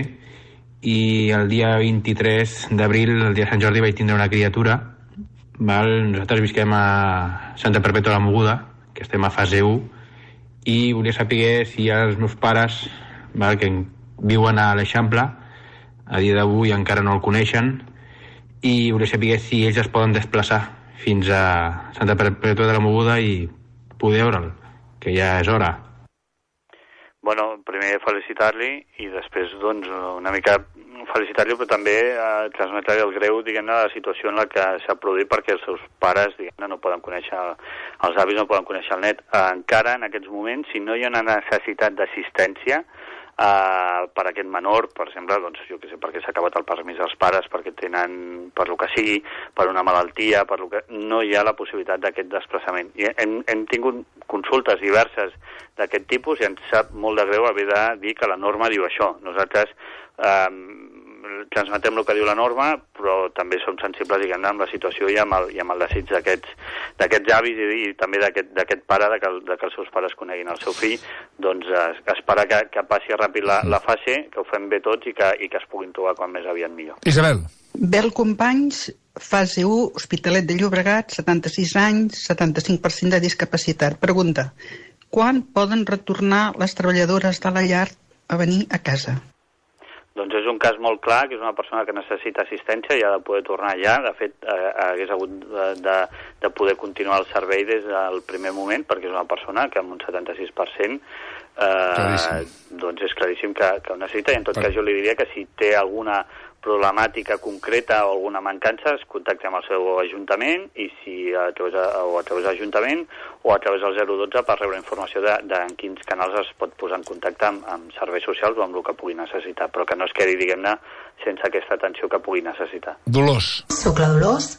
i el dia vint-i-tres d'abril, el dia de Sant Jordi, vaig tindre una criatura. Val? Nosaltres visquem a Santa Perpètua de la Mogoda, que estem a fase u, i volia saber si els meus pares, val, que viuen a l'Eixample, a dia d'avui encara no el coneixen, i volia saber si ells es poden desplaçar fins a Santa Perpètua de la Mogoda i poder veure'l, que ja és hora. Bueno, primer felicitar-li i després, doncs, una mica felicitar-li, però també eh, transmetre-li el greu, diguem-ne, de la situació en la que s'ha produït perquè els seus pares, diguem-ne, no poden conèixer, els avis no poden conèixer el net. Eh, encara, en aquests moments, si no hi ha una necessitat d'assistència, Uh, per aquest menor, per exemple, doncs, jo què sé, perquè s'ha acabat el permís dels pares, perquè tenen, per lo que sigui, per una malaltia, per lo que... no hi ha la possibilitat d'aquest desplaçament. I hem, hem tingut consultes diverses d'aquest tipus i ens sap molt de greu haver de dir que la norma diu això. Nosaltres, uh, transmetem el que diu la norma, però també som sensibles, diguem-ne, amb la situació i amb el, i amb el desig d'aquests avis i, i també d'aquest pare, de que, de que els seus pares coneguin el seu fill, doncs es, esperar que, que passi ràpid la, la fase, que ho fem bé tots i que, i que es puguin trobar quan més aviat millor. Isabel. Bel Companys, fase u, Hospitalet de Llobregat, setanta-sis anys, setanta-cinc per cent de discapacitat. Pregunta, quan poden retornar les treballadores de la llar a venir a casa? Doncs és un cas molt clar, que és una persona que necessita assistència i ha de poder tornar allà. De fet, eh, hagués hagut de, de, de poder continuar el servei des del primer moment, perquè és una persona que amb un setanta-sis per cent eh, doncs és claríssim que, que ho necessita. I en tot cas jo li diria que si té alguna problemàtica concreta o alguna mancança, es contacta amb el seu ajuntament i si a través, o a través de l'Ajuntament o a través del zero dotze per rebre informació de, de en quins canals es pot posar en contacte amb, amb serveis socials o amb el que pugui necessitar, però que no es quedi, diguem-ne, sense aquesta atenció que pugui necessitar. Dolors. Soc la Dolors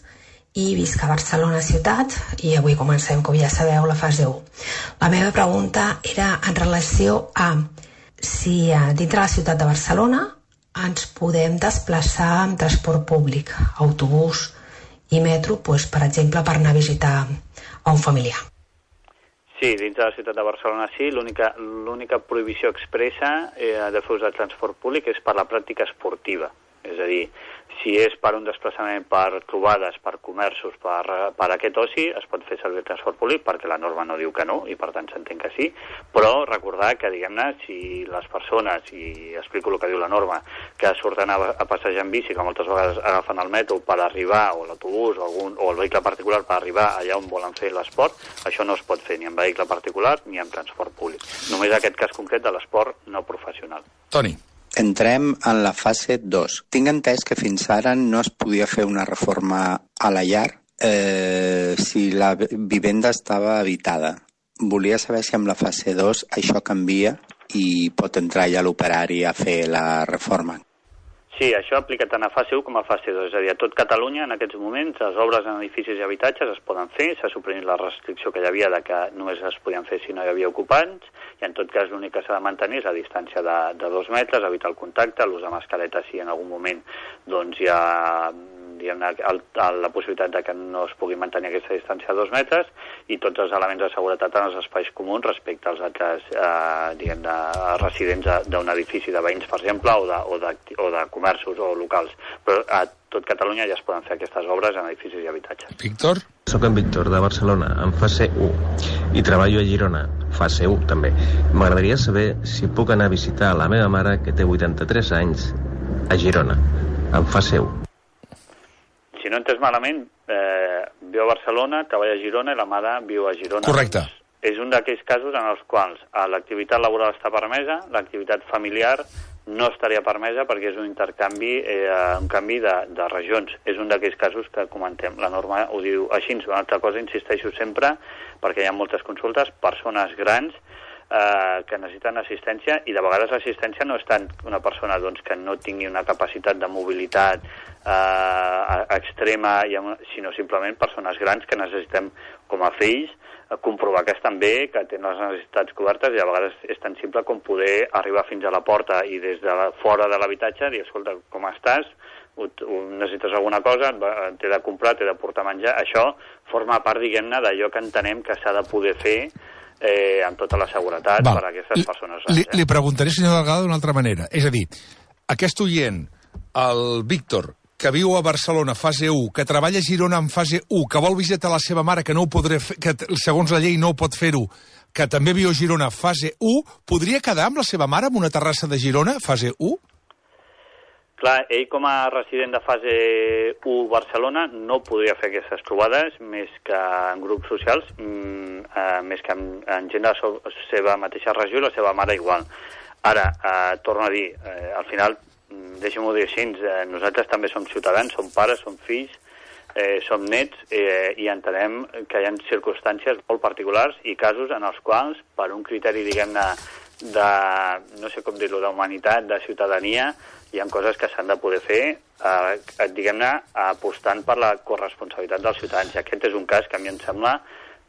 i visc a Barcelona ciutat i avui comencem, com ja sabeu, la fase u. La meva pregunta era en relació a si dintre la ciutat de Barcelona ens podem desplaçar amb transport públic, autobús i metro, doncs, per exemple, per anar a visitar a un familiar. Sí, dins de la ciutat de Barcelona sí. L'única prohibició expressa eh, de fer ús del transport públic és per la pràctica esportiva. És a dir, si és per un desplaçament per trobades, per comerços, per, per aquest oci, es pot fer servir el transport públic perquè la norma no diu que no i per tant s'entén que sí, però recordar que, diguem-ne, si les persones, i explico el que diu la norma, que surten a, a passejar en bici, que moltes vegades agafen el metro per arribar, o l'autobús, o, algun, o el vehicle particular per arribar allà on volen fer l'esport, això no es pot fer ni en vehicle particular ni en transport públic. Només aquest cas concret de l'esport no professional. Toni. Entrem en la fase dos. Tinc entès que fins ara no es podia fer una reforma a la llar eh, si la vivenda estava habitada. Volia saber si amb la fase dos això canvia i pot entrar ja l'operari a fer la reforma. Sí, això aplica tant a fase u com a fase dos. És a dir, a tot Catalunya, en aquests moments, les obres en edificis i habitatges es poden fer. S'ha suprimit la restricció que hi havia de que només es podien fer si no hi havia ocupants, i en tot cas l'únic que s'ha de mantenir és la distància de, de dos metres, evitar el contacte, l'ús de mascareta si en algun moment doncs, hi ha diguem-ne, el, el, la possibilitat de que no es pugui mantenir aquesta distància de dos metres, i tots els elements de seguretat en els espais comuns respecte als altres eh, diguem-ne, residents d'un edifici de veïns, per exemple, o de, o, de, o de comerços o locals. Però a tot Catalunya ja es poden fer aquestes obres en edificis i habitatges. Víctor? Soc en Víctor, de Barcelona, en fase u, i treballo a Girona, fase u també. M'agradaria saber si puc anar a visitar la meva mare, que té vuitanta-tres anys, a Girona, en fase u. Si no entès malament, eh, viu a Barcelona, treballa a Girona i la mare viu a Girona. Correcte. És un d'aquells casos en els quals l'activitat laboral està permesa, l'activitat familiar no estaria permesa perquè és un intercanvi, eh, un canvi de, de regions. És un d'aquells casos que comentem. La norma ho diu així. Una altra cosa, insisteixo sempre, perquè hi ha moltes consultes, persones grans eh, que necessiten assistència, i de vegades l'assistència no és tant una persona doncs, que no tingui una capacitat de mobilitat eh, extrema, sinó simplement persones grans que necessitem, com a fills, comprovar que estan bé, que tenen les necessitats cobertes, i a vegades és tan simple com poder arribar fins a la porta i des de la, fora de l'habitatge dir, escolta, com estàs? Ho, ho, necessites alguna cosa? T'he de comprar, t'he de portar menjar? Això forma part, diguem-ne, d'allò que entenem que s'ha de poder fer eh, amb tota la seguretat Val. per a aquestes persones grans. Li, li preguntaré, senyor Delgado, d'una altra manera. És a dir, aquest oient, el Víctor, que viu a Barcelona, fase u, que treballa a Girona en fase u, que vol visitar la seva mare, que no ho podré fer, que segons la llei no ho pot fer-ho, que també viu a Girona, fase u, podria quedar amb la seva mare en una terrassa de Girona, fase u? Clar, ell com a resident de fase u Barcelona no podria fer aquestes trobades més que en grups socials, mm, eh, més que en, en gent de la seva mateixa regió i la seva mare igual. Ara, eh, torno a dir, eh, al final, deixem-ho dir així, eh, nosaltres també som ciutadans, som pares, som fills, eh, som nets, eh, i entenem que hi ha circumstàncies molt particulars i casos en els quals, per un criteri, diguem-ne, de, no sé com dir-ho, d'humanitat, de ciutadania, hi ha coses que s'han de poder fer, eh, diguem-ne, apostant per la corresponsabilitat dels ciutadans. I aquest és un cas que a mi em sembla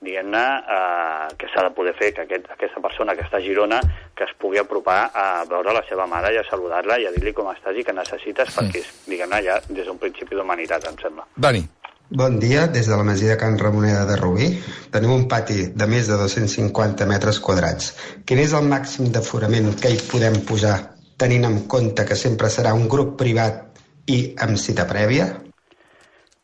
diguem-ne, eh, que s'ha de poder fer, que aquest, aquesta persona que està a Girona que es pugui apropar a veure la seva mare i a saludar-la i a dir-li com estàs i què necessites, mm. perquè és, diguem-ne, ja des d'un principi d'humanitat, em sembla. Dani. Bon dia, des de la masia de Can Ramoneda de Rubí. Tenim un pati de més de dos-cents cinquanta metres quadrats. Quin és el màxim d'aforament que hi podem posar, tenint en compte que sempre serà un grup privat i amb cita prèvia?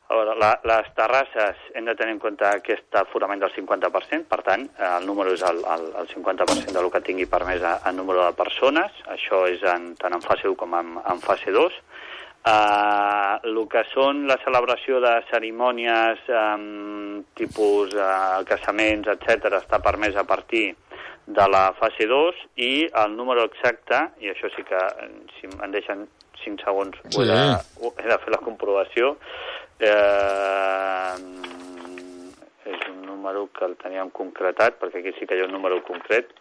A veure, la, les terrasses hem de tenir en compte aquest aforament del cinquanta per cent, per tant, el número és el, el, el cinquanta per cent del que tingui permès en número de persones, això és en, tant en fase u com en, en fase dos. Uh, el que són la celebració de cerimònies um, tipus uh, casaments, etcètera, està permès a partir de la fase dos i el número exacte, i això sí que si em deixen cinc segons sí. he, de, he de fer la comprovació, eh, és un número que el teníem concretat, perquè aquí sí que hi ha un número concret.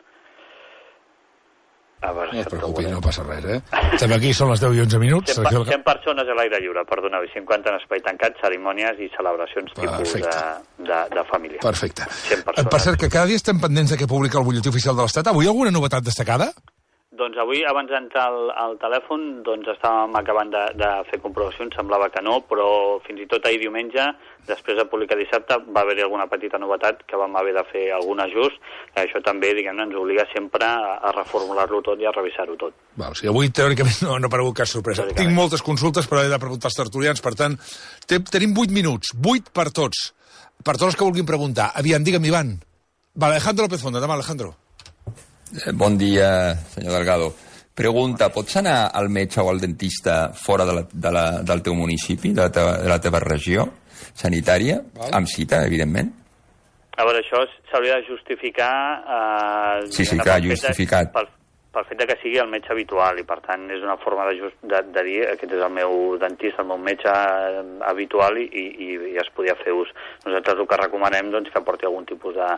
A veure, no et preocupis, no passa res, eh? Estem aquí, són les deu i onze minuts. cent, cent persones a l'aire lliure, perdoneu, cinquanta en espai tancat, cerimònies i celebracions tipus de, de, de família. Perfecte. Per cert, que cada dia estem pendents de què publica el butlletí oficial de l'Estat. Avui alguna novetat destacada? Doncs avui, abans d'entrar al, al telèfon, doncs estàvem acabant de, de fer comprovacions, semblava que no, però fins i tot ahir diumenge, després de publicar dissabte, va haver-hi alguna petita novetat que vam haver de fer algun ajust, i això també, diguem-ne, ens obliga sempre a, a reformular-lo tot i a revisar-ho tot. Val, o sigui, avui, teòricament, no, no ha aparegut cap sorpresa. Tinc moltes consultes, però he de preguntar als tertulians, per tant, te, tenim vuit minuts, vuit per tots, per tots els que vulguin preguntar. Aviam, digue'm, Ivan. Vale, Alejandro López Fonda, demà, Alejandro. Bon dia, senyor Delgado. Pregunta, pots anar al metge o al dentista fora de la, de la, del teu municipi, de la teva, de la teva regió sanitària, Val. amb cita, evidentment? A veure, això s'hauria de justificar... Eh, sí, sí, clar, justificat. Pel, pel fet de que sigui el metge habitual, i per tant és una forma de, just, de, de dir aquest és el meu dentista, el meu metge habitual, i, i, i es podia fer ús. Nosaltres el que recomanem doncs, que porti algun tipus de,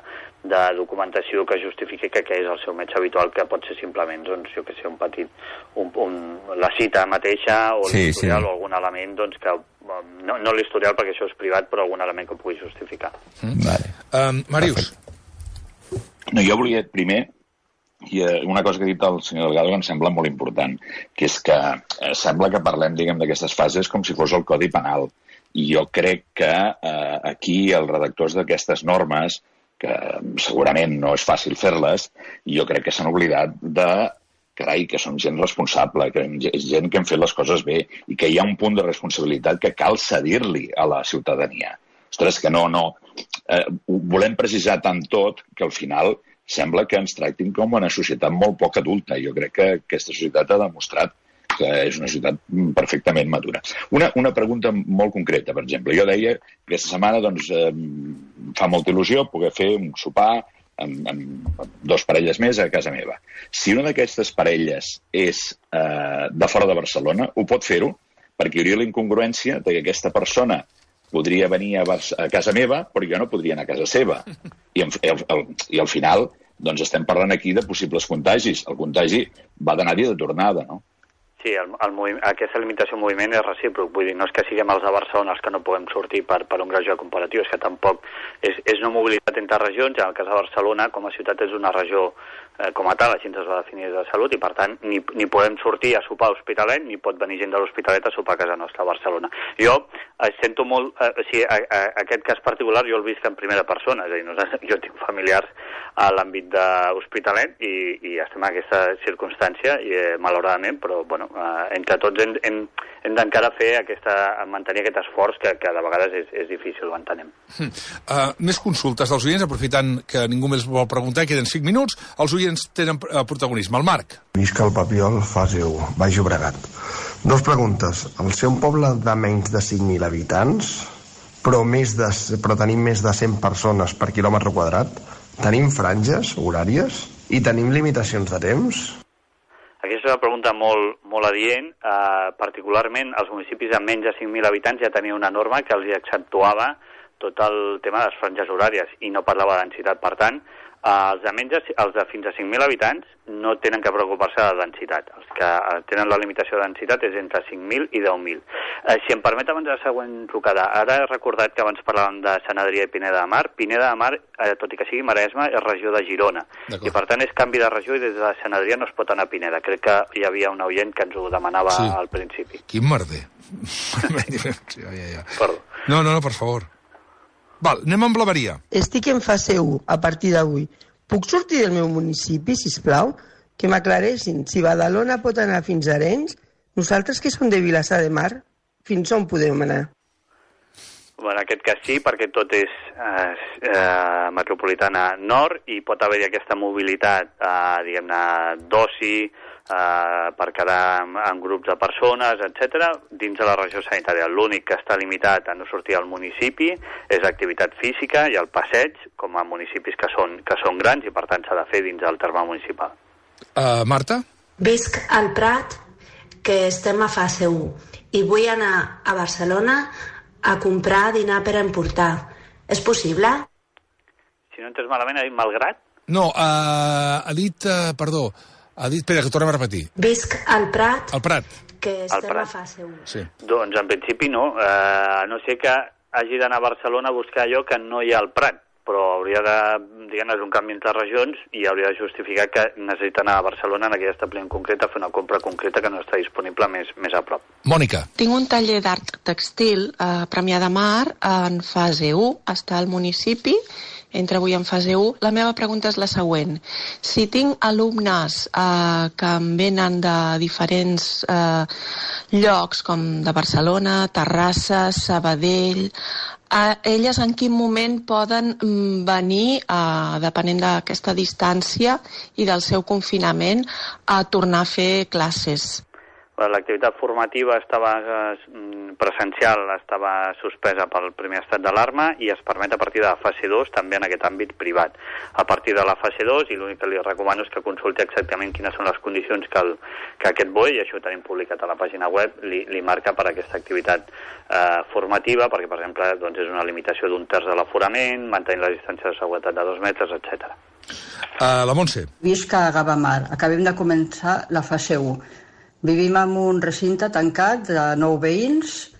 de documentació que justifiqui que aquest és el seu metge habitual, que pot ser simplement, doncs, jo que sé, un petit, un, un, la cita mateixa o sí, l'historial sí. o algun element doncs, que no, no l'historial perquè això és privat, però algun element que pugui justificar. Mm. Vale. Um, Màrius. No, jo volia primer i una cosa que ha dit el senyor Delgado que em sembla molt important, que és que eh, sembla que parlem, diguem, d'aquestes fases com si fos el Codi Penal. I jo crec que eh, aquí els redactors d'aquestes normes, que segurament no és fàcil fer-les, jo crec que s'han oblidat de, carai, que som gent responsable, que és gent que hem fet les coses bé i que hi ha un punt de responsabilitat que cal cedir-li a la ciutadania. Ostres, que no, no. Eh, volem precisar tant tot que al final sembla que ens tractin com una societat molt poc adulta. Jo crec que aquesta societat ha demostrat que és una societat perfectament madura. Una, una pregunta molt concreta, per exemple. Jo deia que aquesta setmana doncs, eh, fa molta il·lusió poder fer un sopar amb, amb dos parelles més a casa meva. Si una d'aquestes parelles és eh, de fora de Barcelona, ho pot fer-ho, perquè hi hauria la incongruència de que aquesta persona podria venir a, a casa meva, però jo no podria anar a casa seva. I, el, el, i al final doncs estem parlant aquí de possibles contagis. El contagi va d'anar-hi de tornada, no? Sí, el, el moviment, aquesta limitació de moviment és recíproc. Vull dir, no és que siguem els de Barcelona els que no podem sortir per, per un greuge comparatiu, és que tampoc és, és una mobilitat entre regions. En el cas de Barcelona, com a ciutat, és una regió eh, com a tal, així ens va definir de salut, i per tant ni, ni podem sortir a sopar a l'Hospitalet, ni pot venir gent de l'Hospitalet a sopar a casa nostra a Barcelona. Jo eh, sento molt... Eh, o sigui, a, a, aquest cas particular jo el visc en primera persona, és a dir, nosaltres, jo tinc familiars a l'àmbit de l'Hospitalet i, i estem en aquesta circumstància, i, eh, malauradament, però, bueno, eh, entre tots hem, hem, hem d'encara fer aquesta, mantenir aquest esforç que, que de vegades és, és difícil, ho entenem. Uh, més consultes dels oients, aprofitant que ningú més vol preguntar, queden cinc minuts, els oients tenen uh, protagonisme. El Marc. Visca el Papiol, fase u, Baix Llobregat. Dos preguntes. Al ser un poble de menys de cinc mil habitants, però, més de, però tenim més de cent persones per quilòmetre quadrat, tenim franges horàries i tenim limitacions de temps? Aquesta és una pregunta molt, molt adient. Uh, particularment, els municipis amb menys de cinc mil habitants ja tenien una norma que els exceptuava tot el tema de les franges horàries i no parlava de densitat. Per tant, Els de, menys, els de fins a cinc mil habitants no tenen que preocupar-se de la densitat. Els que tenen la limitació de densitat és entre cinc mil i deu mil. Eh, si em permet abans de la següent trucada, ara he recordat que abans parlàvem de Sant Adrià i Pineda de Mar. Pineda de Mar, eh, tot i que sigui Maresme, és regió de Girona. I per tant és canvi de regió i des de Sant Adrià no es pot anar a Pineda. Crec que hi havia un oient que ens ho demanava sí. al principi. Quin merder. ja, ja, ja. Perdó. No, no, no, per favor. Val, anem amb la Maria. Estic en fase u a partir d'avui. Puc sortir del meu municipi, sisplau? Que m'aclareixin. Si Badalona pot anar fins a Arenys, nosaltres que som de Vilassar de Mar, fins on podem anar? En aquest cas sí, perquè tot és eh, eh, metropolitana nord i pot haver-hi aquesta mobilitat, eh, diguem-ne, d'oci, eh, per quedar en, en grups de persones, etcètera, dins de la regió sanitària. L'únic que està limitat a no sortir al municipi és l'activitat física i el passeig, com a municipis que són, que són grans i per tant s'ha de fer dins del terme municipal. Uh, Marta? Visc al Prat, que estem a fase u, i vull anar a Barcelona a comprar dinar per emportar. És possible? Si no entens malament, ha dit malgrat? No, uh, ha dit, uh, perdó, ha dit, espera, que tornem a repetir. Visc al Prat, al Prat. que estem a fase u. Sí. Doncs en principi no, uh, a no ser que hagi d'anar a Barcelona a buscar allò que no hi ha al Prat, però hauria de, diguem-ne, és un canvi entre regions i hauria de justificar que necessita anar a Barcelona en aquell establiment concret a fer una compra concreta que no està disponible més, més a prop. Mònica. Tinc un taller d'art textil a Premià de Mar en fase u, està al municipi, entra avui en fase u. La meva pregunta és la següent. Si tinc alumnes eh, que em venen de diferents eh, llocs, com de Barcelona, Terrassa, Sabadell, eh, elles en quin moment poden mm, venir, eh, depenent d'aquesta distància i del seu confinament, a tornar a fer classes? L'activitat formativa estava presencial, estava suspesa pel primer estat d'alarma i es permet a partir de la fase dos també en aquest àmbit privat. A partir de la fase dos, i l'únic que li recomano és que consulti exactament quines són les condicions que, el, que aquest B O E, i això ho tenim publicat a la pàgina web, li, li marca per a aquesta activitat eh, formativa, perquè, per exemple, doncs és una limitació d'un terç de l'aforament, mantenir la distància de seguretat de dos metres, etcètera. Uh, la Montse. Visc a Gavamar. Acabem de començar la fase u. Vivim en un recinte tancat de nou veïns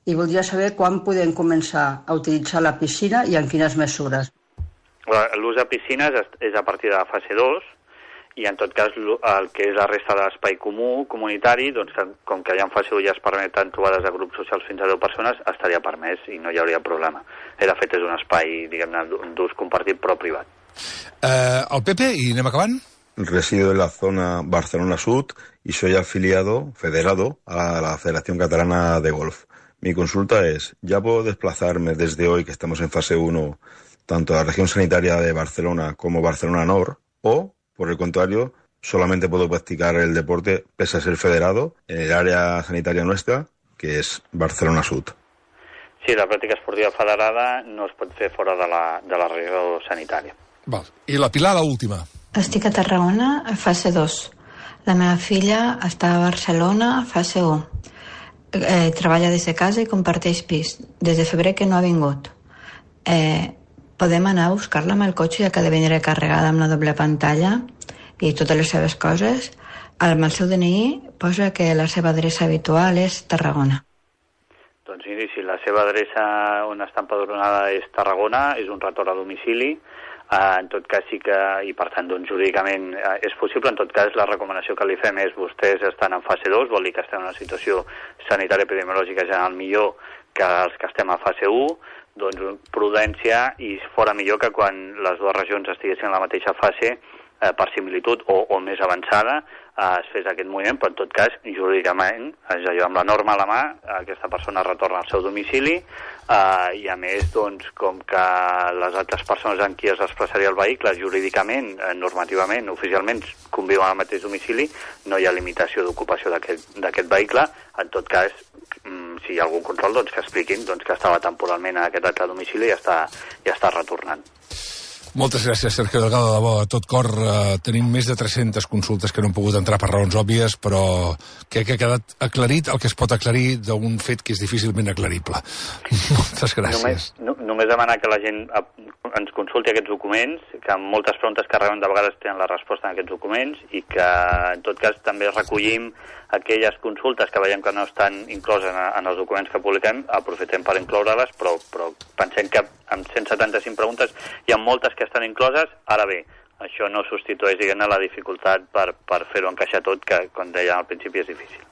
i voldria saber quan podem començar a utilitzar la piscina i en quines mesures. L'ús de piscines és a partir de la fase dos i en tot cas el que és la resta de l'espai comú, comunitari, doncs que, com que ja en fase u ja es permeten trobades de grups socials fins a deu persones, estaria permès i no hi hauria problema. De fet, és un espai, diguem-ne, d'ús compartit però privat. Uh, el Pepe, i anem acabant? Resido en la zona Barcelona Sud y soy afiliado, federado, a la Federación Catalana de Golf. Mi consulta es, ¿ya puedo desplazarme desde hoy, que estamos en fase uno, tanto a la región sanitaria de Barcelona como Barcelona Nord, o, por el contrario, solamente puedo practicar el deporte, pese a ser federado, en el área sanitaria nuestra, que es Barcelona Sud? Sí, la pràctica esportiva federada no es pot fer fora de la, de la regió sanitària. Val. I la Pilar, l'última. Estic a Tarragona, a fase dos. La meva filla està a Barcelona, fase u. Eh, treballa des de casa i comparteix pis. Des de febrer que no ha vingut. Eh, podem anar a buscar-la amb el cotxe, ja que ha de venir carregada amb la doble pantalla i totes les seves coses. Amb el seu D N I posa que la seva adreça habitual és Tarragona. Doncs miri, si la seva adreça on està empadronada és Tarragona, és un retorn a domicili, Uh, en tot cas sí que, i per tant doncs, jurídicament uh, és possible. En tot cas la recomanació que li fem és vostès estan en fase dos, vol dir que estem en una situació sanitària epidemiològica general millor que els que estem a fase u, doncs prudència i fora millor que quan les dues regions estiguessin en la mateixa fase uh, per similitud o, o més avançada uh, es fes aquest moviment, però en tot cas jurídicament, és allò, amb la norma a la mà, aquesta persona retorna al seu domicili. Uh, i a més, doncs, com que les altres persones en qui es desplaçaria el vehicle jurídicament, eh, normativament, oficialment conviuen al mateix domicili, no hi ha limitació d'ocupació d'aquest vehicle. En tot cas, mm, si hi ha algun control, doncs que expliquin doncs, que estava temporalment en aquest altre domicili i ja està, ja està retornant. Moltes gràcies, Sergio Delgado, de debò, a tot cor. Uh, tenim més de tres-centes consultes que no han pogut entrar per raons òbvies, però crec que ha quedat aclarit el que es pot aclarir d'un fet que és difícilment aclarible. Moltes gràcies. Només, no, només demanar que la gent ens consulti aquests documents, que amb moltes preguntes que reben de vegades tenen la resposta en aquests documents, i que en tot cas també recollim aquelles consultes que veiem que no estan incloses en, en els documents que publiquem, aprofitem per incloure-les, però, però pensem que amb cent setanta-cinc preguntes hi ha moltes que estan incloses. Ara bé, això no substitueix, diguem-ne, la dificultat per, per fer-ho encaixar tot, que, com deia al principi, és difícil.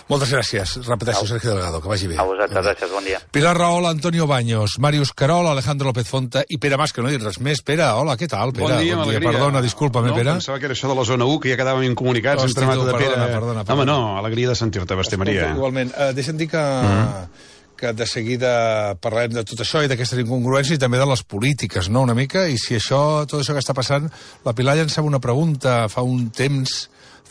Moltes gràcies. Repeteixo, Sergio Delgado, que vagi bé. A vosaltres, gràcies, bon dia. Pilar Rahola, Antonio Baños, Màrius Carol, Alejandro López Fonta i Pere Mas, que no he dit res més. Pere, hola, què tal, Pere? Bon dia, bon dia. Perdona, disculpa'm, no, Pere. Pensava que era això de la zona u, que ja quedàvem incomunicats. Hosti, entre tu, de Pere. perdona, perdona, perdona. Home, no, alegria de sentir-te, Basté Maria. Igualment. Uh, deixa'm dir que... Mm. que de seguida parlem de tot això i d'aquestes incongruències i també de les polítiques, no?, una mica, i si això, tot això que està passant, la Pilar llançava una pregunta fa un temps,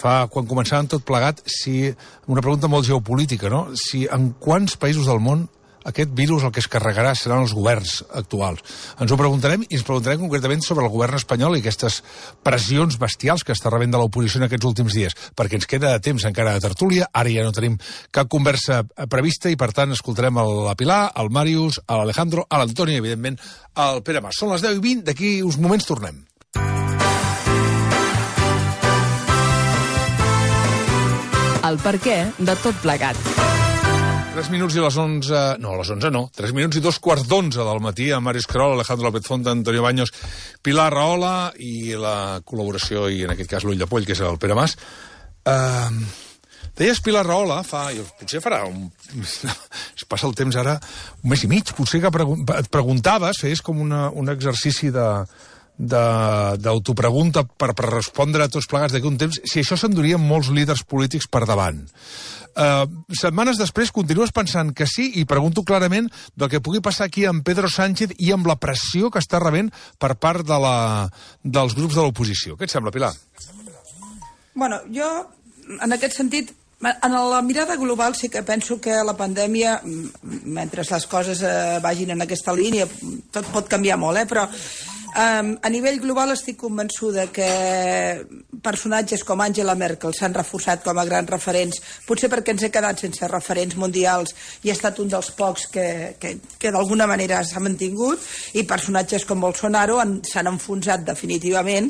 fa, quan començàvem tot plegat, si, una pregunta molt geopolítica, no?, si en quants països del món aquest virus el que es carregarà seran els governs actuals. Ens ho preguntarem i ens preguntarem concretament sobre el govern espanyol i aquestes pressions bestials que està rebent de l'oposició en aquests últims dies, perquè ens queda temps encara de tertúlia, ara ja no tenim cap conversa prevista i per tant escoltarem la Pilar, el Màrius, l'Alejandro, l'Antoni i evidentment el Pere Mas. Són les deu i vint, d'aquí uns moments tornem. El perquè de tot plegat. tres minuts i les onze... No, a les onze no. tres minuts i dos quarts d'onze del matí amb Màrius Carol, Alejandro López Fonta, Antonio Baños, Pilar Rahola i la col·laboració, i en aquest cas l'ull de poll, que és el Pere Mas. Uh, deies Pilar Rahola, fa... Potser farà un... Es passa el temps ara un mes i mig. Potser que pregun... et preguntaves, feies com una, un exercici de... d'autopregunta per, per respondre a tots plegats d'aquí un temps, si això s'endurien molts líders polítics per davant. Uh, setmanes després continues pensant que sí, i pregunto clarament del que pugui passar aquí amb Pedro Sánchez i amb la pressió que està rebent per part de la, dels grups de l'oposició. Què et sembla, Pilar? Bueno, jo, en aquest sentit, en la mirada global sí que penso que la pandèmia, mentre les coses eh, vagin en aquesta línia, tot pot canviar molt, eh? Però Um, a nivell global estic convençuda que personatges com Angela Merkel s'han reforçat com a grans referents, potser perquè ens he quedat sense referents mundials i ha estat un dels pocs que, que, que d'alguna manera s'ha mantingut, i personatges com Bolsonaro s'han enfonsat definitivament,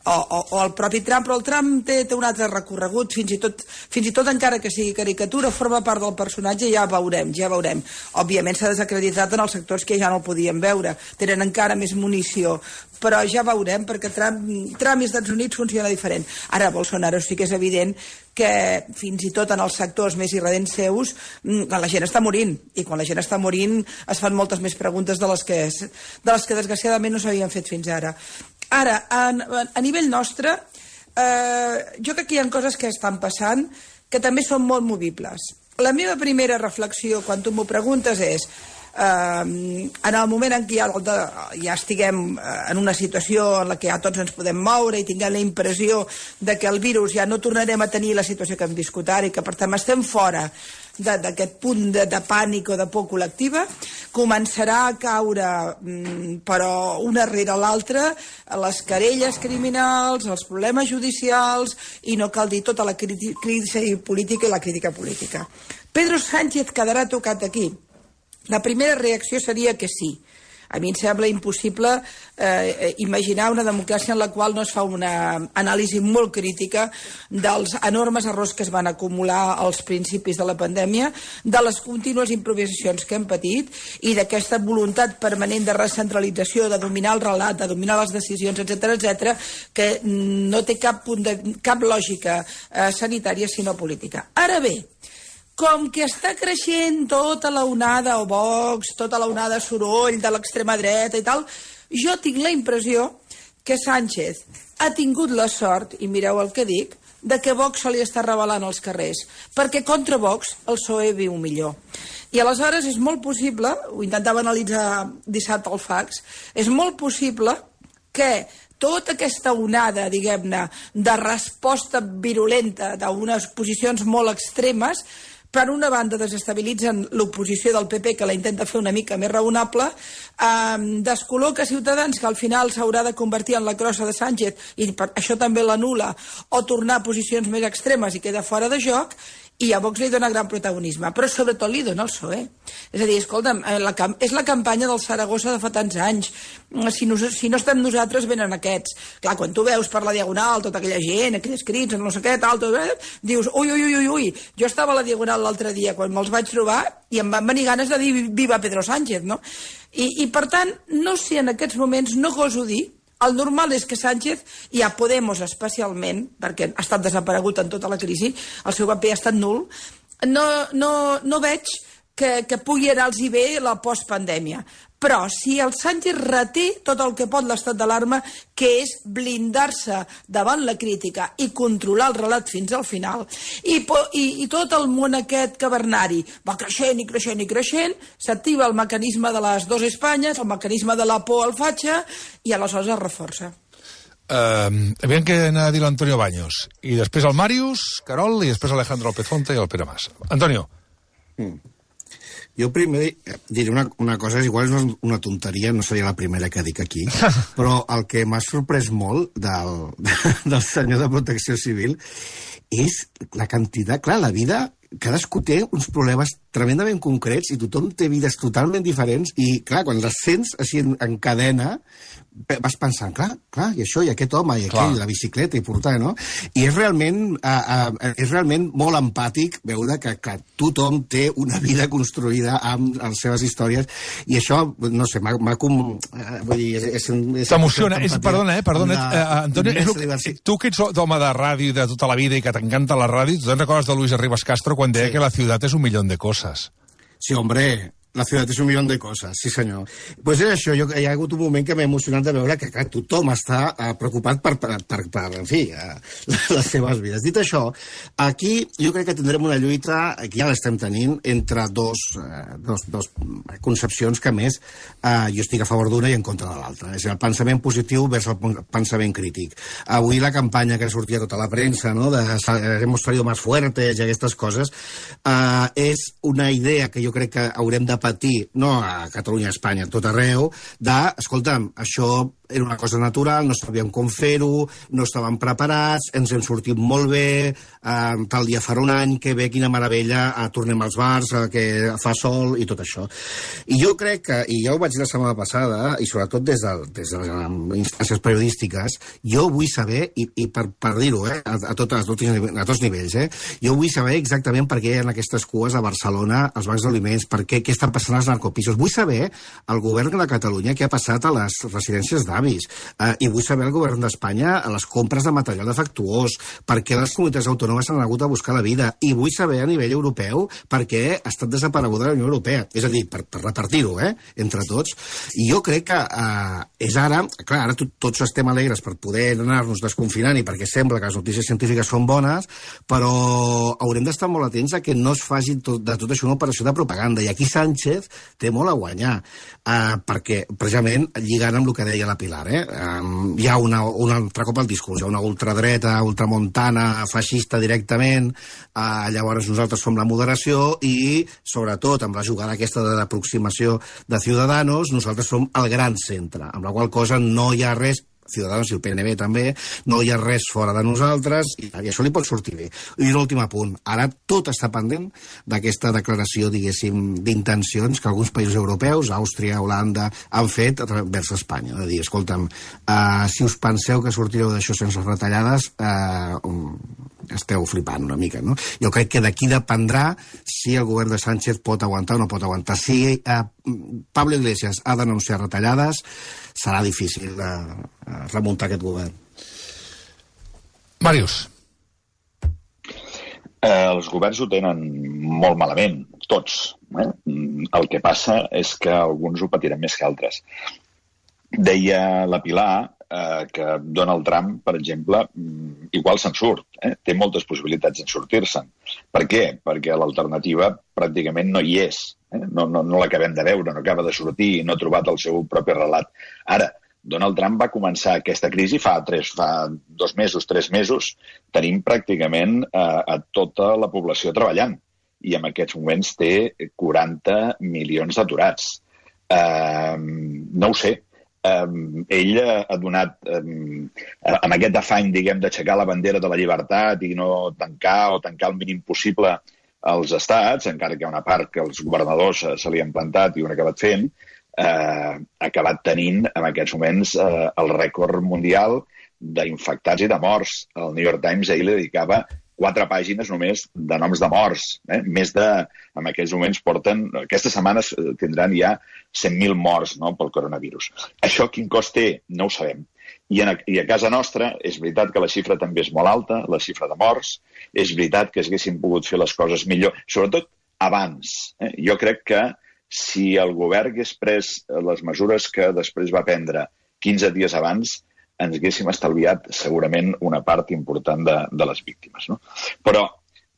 o, o, o el propi Trump, però el Trump té, té un altre recorregut, fins i tot, fins i tot encara que sigui caricatura, forma part del personatge, ja veurem, ja veurem. Òbviament s'ha desacreditat en els sectors que ja no el podien veure, tenen encara més munició, però ja veurem, perquè Trump, Trump i Estats Units funciona diferent. Ara, Bolsonaro sí que és evident que fins i tot en els sectors més irredents seus la gent està morint, i quan la gent està morint es fan moltes més preguntes de les que, de les que desgraciadament no s'havien fet fins ara. Ara, a, a nivell nostre, eh, jo crec que hi ha coses que estan passant que també són molt movibles. La meva primera reflexió, quan tu m'ho preguntes, és Uh, en el moment en què ja, ja estiguem en una situació en la que ja tots ens podem moure i tinguem la impressió de que el virus ja no tornarem a tenir la situació que hem viscut ara i que per tant estem fora d'aquest punt de, de pànic o de por col·lectiva, començarà a caure, però una rere l'altra, les querelles criminals, els problemes judicials, i no cal dir tota la crisi política i la crítica política. Pedro Sánchez quedarà tocat aquí. La primera reacció seria que sí. A mi em sembla impossible eh, imaginar una democràcia en la qual no es fa una anàlisi molt crítica dels enormes errors que es van acumular als principis de la pandèmia, de les contínues improvisacions que hem patit i d'aquesta voluntat permanent de recentralització, de dominar el relat, de dominar les decisions, etcètera, etcètera, que no té cap, punt de, cap lògica eh, sanitària sinó política. Ara bé, com que està creixent tota la onada o Vox, tota la onada soroll de l'extrema dreta i tal, jo tinc la impressió que Sánchez ha tingut la sort, i mireu el que dic, de que Vox se li està revelant als carrers, perquè contra Vox el P S O E viu millor. I aleshores és molt possible, ho intentava analitzar dissabte al fax, és molt possible que tota aquesta onada, diguem-ne, de resposta virulenta d'unes posicions molt extremes per una banda desestabilitzen l'oposició del P P, que la intenta fer una mica més raonable, eh, descol·loca Ciutadans, que al final s'haurà de convertir en la crossa de Sánchez, i per això també l'anul·la, o tornar a posicions més extremes i queda fora de joc, i a Vox li dona gran protagonisme, però sobretot li dona el P S O E. És a dir, escolta'm, la, és la campanya del Saragossa de fa tants anys. Si no, si no estem nosaltres, venen aquests. Clar, quan tu veus per la Diagonal tota aquella gent, aquells crits, no sé què, tal, tot, dius, ui, ui, ui, ui, jo estava a la Diagonal l'altre dia quan me'ls vaig trobar i em van venir ganes de dir viva Pedro Sánchez, no? I, i per tant, no sé, en aquests moments no goso dir. El normal és que Sánchez, i a Podemos especialment, perquè ha estat desaparegut en tota la crisi, el seu paper ha estat nul, no, no, no veig que, que pugui anar-los bé la postpandèmia. Però si el Sánchez reté tot el que pot l'estat d'alarma, que és blindar-se davant la crítica i controlar el relat fins al final, i, i, i tot el món aquest cavernari va creixent i creixent i creixent, s'activa el mecanisme de les dos Espanyes, el mecanisme de la por al fatxa, i aleshores es reforça. Uh, aviam què anava a dir l'Antonio Baños. I després el Màrius, Carol, i després Alejandro López Fonte i el Pere Mas. Antonio. Mm. Jo primer diré una, una cosa, igual és una tonteria, no seria la primera que dic aquí, però el que m'ha sorprès molt del, del senyor de Protecció Civil és la quantitat, clar, la vida, cadascú té uns problemes tremendament concrets i tothom té vides totalment diferents i, clar, quan les sents així en, en cadena, vas pensant, clar, clar, i això, i aquest home, i aquell, la bicicleta, i portar, no? I és realment, uh, uh, és realment molt empàtic veure que, que tothom té una vida construïda amb les seves històries, i això, no sé, m'ha... com... Uh, vull dir, és... és T'emociona, és, perdona, eh, perdona, una, uh, Antonio, és que, tu que ets d'home de ràdio de tota la vida i que t'encanta la ràdio, tu te'n recordes de Luis Arribas Castro quan deia sí. que la ciutat és un milió de coses. Sí, hombre, la ciutat és un milió de coses, sí senyor. Doncs pues és això, jo, hi ha hagut un moment que m'ha emocionat de veure que, que tothom està uh, preocupat per, per, per, per, en fi, uh, les seves vides. Dit això, aquí jo crec que tindrem una lluita, que ja l'estem tenint, entre dos, uh, dos, dos concepcions que, a més, uh, jo estic a favor d'una i en contra de l'altra. És el pensament positiu vers el pensament crític. Avui la campanya que sortia tota la premsa, no?, de hemos salido más fuertes i aquestes coses, uh, és una idea que jo crec que haurem de patir, no a Catalunya, a Espanya, a tot arreu, de, escolta'm, això era una cosa natural, no sabíem com fer-ho, no estàvem preparats, ens hem sortit molt bé, eh, tal dia farà un any, que bé, quina meravella, eh, tornem als bars, eh, que fa sol i tot això. I jo crec que, i ja ho vaig dir la setmana passada, i sobretot des de, des de les instàncies periodístiques, jo vull saber, i, i per, per dir-ho, eh, a, a, tot, a, tots, a tots nivells, eh, jo vull saber exactament per què hi ha aquestes cues a Barcelona, als bancs d'aliments, per què, què està passant als narcopisos. Vull saber el govern de Catalunya què ha passat a les residències d'avis, uh, i vull saber el govern d'Espanya a les compres de material defectuós, per què les comunitats autònomes s'han hagut a buscar la vida, i vull saber a nivell europeu per què ha estat desapareguda la Unió Europea, és a dir, per, per repartir-ho, eh, entre tots. I jo crec que uh, és ara, clar, ara tot, tots estem alegres per poder anar-nos desconfinant i perquè sembla que les notícies científiques són bones, però haurem d'estar molt atents a que no es faci tot, de tot això una operació de propaganda, i aquí Sánchez té molt a guanyar, uh, perquè precisament lligant amb el que deia la Pilar, eh? Um, hi ha una, un altre cop al discurs, hi ha una ultradreta, ultramontana, feixista directament, uh, llavors nosaltres som la moderació i, sobretot, amb la jugada aquesta de l'aproximació de Ciudadanos, nosaltres som el gran centre, amb la qual cosa no hi ha res, Ciudadanos i el P N B també, no hi ha res fora de nosaltres, i, i això li pot sortir bé. I l'últim apunt, ara tot està pendent d'aquesta declaració, diguéssim, d'intencions que alguns països europeus, Àustria, Holanda, han fet vers Espanya. De dir, escolta'm, uh, si us penseu que sortireu d'això sense retallades, uh, um, esteu flipant una mica, no? Jo crec que d'aquí dependrà si el govern de Sánchez pot aguantar o no pot aguantar. Si uh, Pablo Iglesias ha d'anunciar retallades, serà difícil de uh, remuntar aquest govern. Màrius. Eh, els governs ho tenen molt malament, tots. Eh? El que passa és que alguns ho patiran més que altres. Deia la Pilar eh, que Donald Trump, per exemple, igual se'n surt. Eh? Té moltes possibilitats en sortir-se'n. Per què? Perquè l'alternativa pràcticament no hi és. Eh? No, no, no l'acabem de veure, no acaba de sortir i no ha trobat el seu propi relat. Ara, Donald Trump va començar aquesta crisi fa, tres, fa dos mesos, tres mesos. Tenim pràcticament eh, a tota la població treballant. i en aquests moments té quaranta milions d'aturats. Uh, no ho sé. Uh, ell ha donat, um, amb aquest afany, diguem, d'aixecar la bandera de la llibertat i no tancar o tancar el mínim possible els estats, encara que hi ha una part que els governadors se li han plantat i ho han acabat fent, eh, ha acabat tenint en aquests moments eh, el rècord mundial d'infectats i de morts. El New York Times ahir li dedicava quatre pàgines només de noms de morts. Eh? Més de, en aquests moments porten, aquestes setmanes tindran ja cent mil morts, no?, pel coronavirus. Això quin cost té? No ho sabem. I, en, I a casa nostra és veritat que la xifra també és molt alta, la xifra de morts. És veritat que haguéssim pogut fer les coses millor, sobretot abans. Eh? Jo crec que si el govern hagués pres les mesures que després va prendre quinze dies abans, ens haguéssim estalviat segurament una part important de, de les víctimes. No? Però,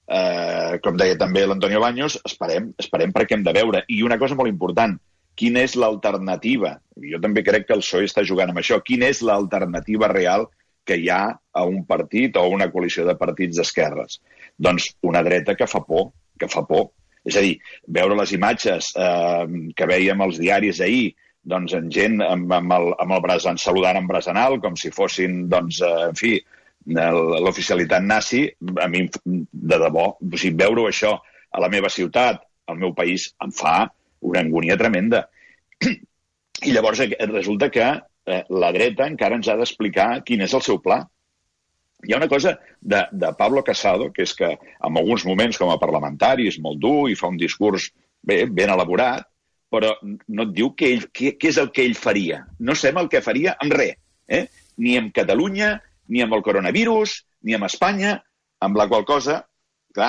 eh, com deia també l'Antonio Baños, esperem, esperem perquè hem de veure. I una cosa molt important, quina és l'alternativa? Jo també crec que el P S O E està jugant amb això. Quina és l'alternativa real que hi ha a un partit o a una coalició de partits d'esquerres? Doncs una dreta que fa por, que fa por. És a dir, veure les imatges eh, que vèiem als diaris ahir, doncs en gent amb, amb, el, amb el braç, saludant amb braç en alt, com si fossin, doncs, eh, en fi, l'oficialitat nazi, a mi, de debò, o sigui, veure això a la meva ciutat, al meu país, em fa una angúnia tremenda. I llavors resulta que eh, la dreta encara ens ha d'explicar quin és el seu pla. Hi ha una cosa de, de Pablo Casado, que és que en alguns moments com a parlamentari és molt dur i fa un discurs bé, ben elaborat, però no et diu què, ell, què, què és el que ell faria. No sabem el que faria amb res, eh? Ni amb Catalunya, ni amb el coronavirus, ni amb Espanya, amb la qual cosa, clar,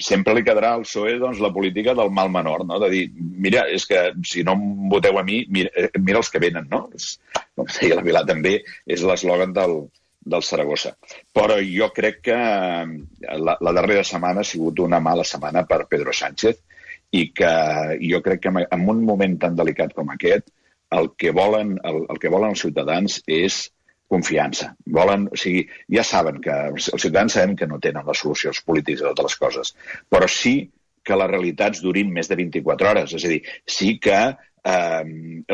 sempre li quedarà al P S O E doncs, la política del mal menor, no? De dir, mira, és que si no em voteu a mi, mira, mira els que venen, no? És, com deia la Vilà també, és l'eslògan del, del Saragossa. Però jo crec que la, la darrera setmana ha sigut una mala setmana per Pedro Sánchez, i que jo crec que en un moment tan delicat com aquest el que volen, el, el que volen els ciutadans és confiança. Volen, o sigui, ja saben que els ciutadans sabem que no tenen les solucions polítiques a totes les coses, però sí que les realitats durin més de vint-i-quatre hores. És a dir, sí que eh,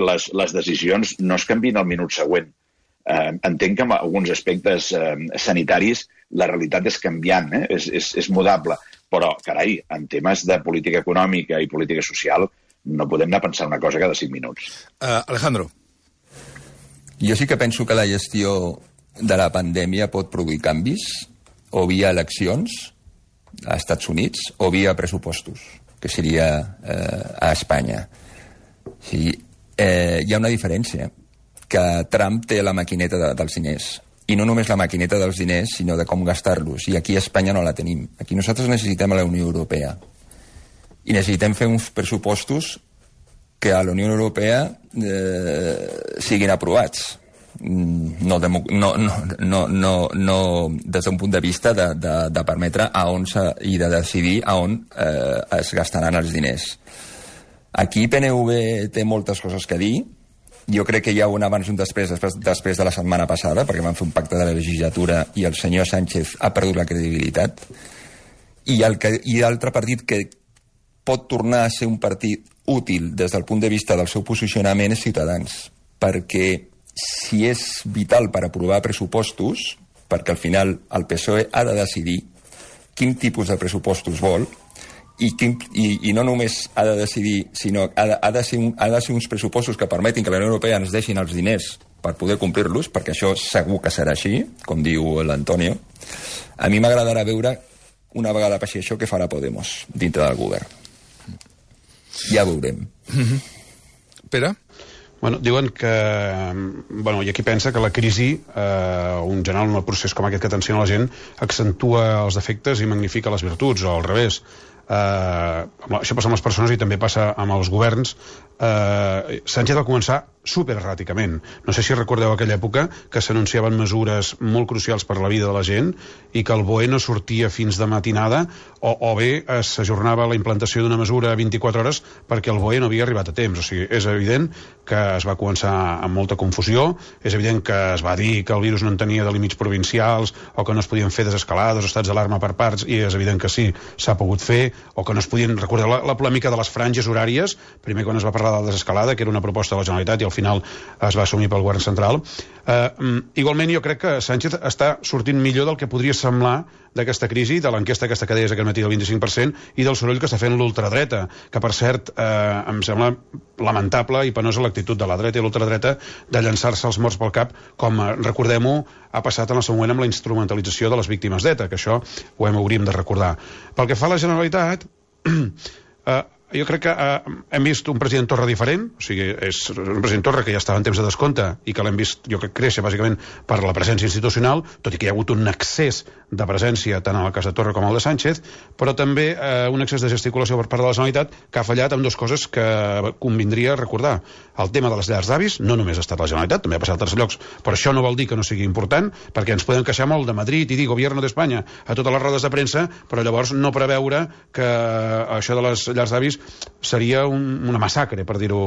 les, les decisions no es canvien al minut següent. Eh, entenc que en alguns aspectes eh, sanitaris la realitat és canviant, eh? és, és, és mudable. Però, carai, en temes de política econòmica i política social no podem anar a pensar una cosa cada cinc minuts. Uh, Alejandro. Jo sí que penso que la gestió de la pandèmia pot produir canvis o via eleccions als Estats Units o via pressupostos, que seria eh, a Espanya. Sí, eh, hi ha una diferència, que Trump té la maquineta de, dels diners. I no només la maquineta dels diners, sinó de com gastar-los. I aquí a Espanya no la tenim. Aquí nosaltres necessitem a la Unió Europea. I necessitem fer uns pressupostos que a la Unió Europea eh, siguin aprovats. No, demo, no, no, no, no, no des d'un punt de vista de, de, de permetre a on se, i de decidir a on eh, es gastaran els diners. Aquí P N V té moltes coses que dir. Jo crec que hi ha un abans i un després, després, després de la setmana passada, perquè van fer un pacte de la legislatura i el senyor Sánchez ha perdut la credibilitat. I l'altre partit que pot tornar a ser un partit útil des del punt de vista del seu posicionament és Ciutadans, perquè si és vital per aprovar pressupostos, perquè al final el P S O E ha de decidir quin tipus de pressupostos vol, I, quin, i, i no només ha de decidir, sinó ha de, ha, de ser un, ha de ser uns pressupostos que permetin que la Unió Europea ens deixin els diners per poder complir-los, perquè això segur que serà així, com diu l'Antonio. A mi m'agradarà veure una vegada passi això què farà Podemos dintre del govern. Ja veurem. Mm-hmm. Pere? Bueno, diuen que... Bueno, hi ha qui pensa que la crisi, eh, un general en el procés com aquest que tensiona la gent, accentua els defectes i magnifica les virtuts, o al revés. Uh, això passa amb les persones i també passa amb els governs. uh, Sánchez va començar supererràticament. No sé si recordeu aquella època que s'anunciaven mesures molt crucials per la vida de la gent i que el B O E no sortia fins de matinada, o, o bé s'ajornava la implantació d'una mesura a vint-i-quatre hores perquè el B O E no havia arribat a temps. O sigui, és evident que es va començar amb molta confusió, és evident que es va dir que el virus no en tenia de límits provincials o que no es podien fer desescalades o estats d'alarma per parts, i és evident que sí, s'ha pogut fer. o que no es podien recordar la, la polèmica de les franges horàries, primer quan es va parlar de la desescalada, que era una proposta de la Generalitat i al final es va assumir pel govern central. Eh, igualment jo crec que Sánchez està sortint millor del que podria semblar d'aquesta crisi, de l'enquesta aquesta que deies aquest matí del vint-i-cinc per cent i del soroll que està fent l'ultradreta, que per cert eh, em sembla lamentable i penosa l'actitud de la dreta i l'ultradreta de llançar-se els morts pel cap, com eh, recordem-ho, ha passat en el seu moment amb la instrumentalització de les víctimes d'E T A, que això ho hem, hauríem de recordar. Pel que fa a la Generalitat, eh, jo crec que eh, hem vist un president Torra diferent, o sigui, és un president Torra que ja estava en temps de descompte i que l'hem vist, jo crec, créixer bàsicament per la presència institucional, tot i que hi ha hagut un excés de presència tant en el cas de Torra com el de Sánchez, però també eh, un excés de gesticulació per part de la Generalitat que ha fallat amb dues coses que convindria recordar. El tema de les llars d'avis, no només ha estat la Generalitat, també ha passat a altres llocs, però això no vol dir que no sigui important, perquè ens podem queixar molt de Madrid i dir Gobierno d'Espanya a totes les rodes de premsa, però llavors no preveure que això de les llars d'avis seria un, una massacre, per dir-ho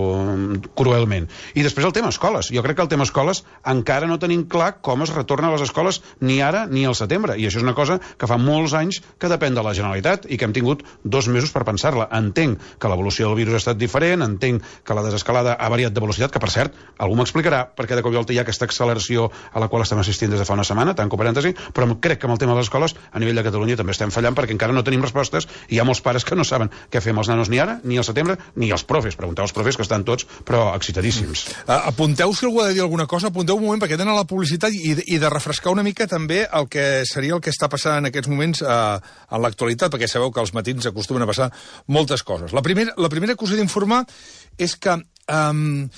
cruelment. I després el tema escoles. Jo crec que el tema escoles encara no tenim clar com es retorna a les escoles ni ara ni al setembre. I això és una cosa que fa molts anys que depèn de la Generalitat i que hem tingut dos mesos per pensar-la. Entenc que l'evolució del virus ha estat diferent, entenc que la desescalada ha variat de velocitat, que per cert, algú m'explicarà perquè de cop i volta hi ha aquesta acceleració a la qual estem assistint des de fa una setmana, tanco parèntesi, però crec que amb el tema de les escoles a nivell de Catalunya també estem fallant perquè encara no tenim respostes i hi ha molts pares que no saben què fer amb els nanos ni ara, ni al setembre, ni els profes. Pregunteu als profes que estan tots, però excitadíssims. Uh, apunteu si algú ha de dir alguna cosa, apunteu un moment perquè tenen la publicitat i, i de refrescar una mica també el que seria el que està passant en aquests moments uh, en l'actualitat, perquè sabeu que als matins acostumen a passar moltes coses. La primera, la primera que us he d'informar és que um,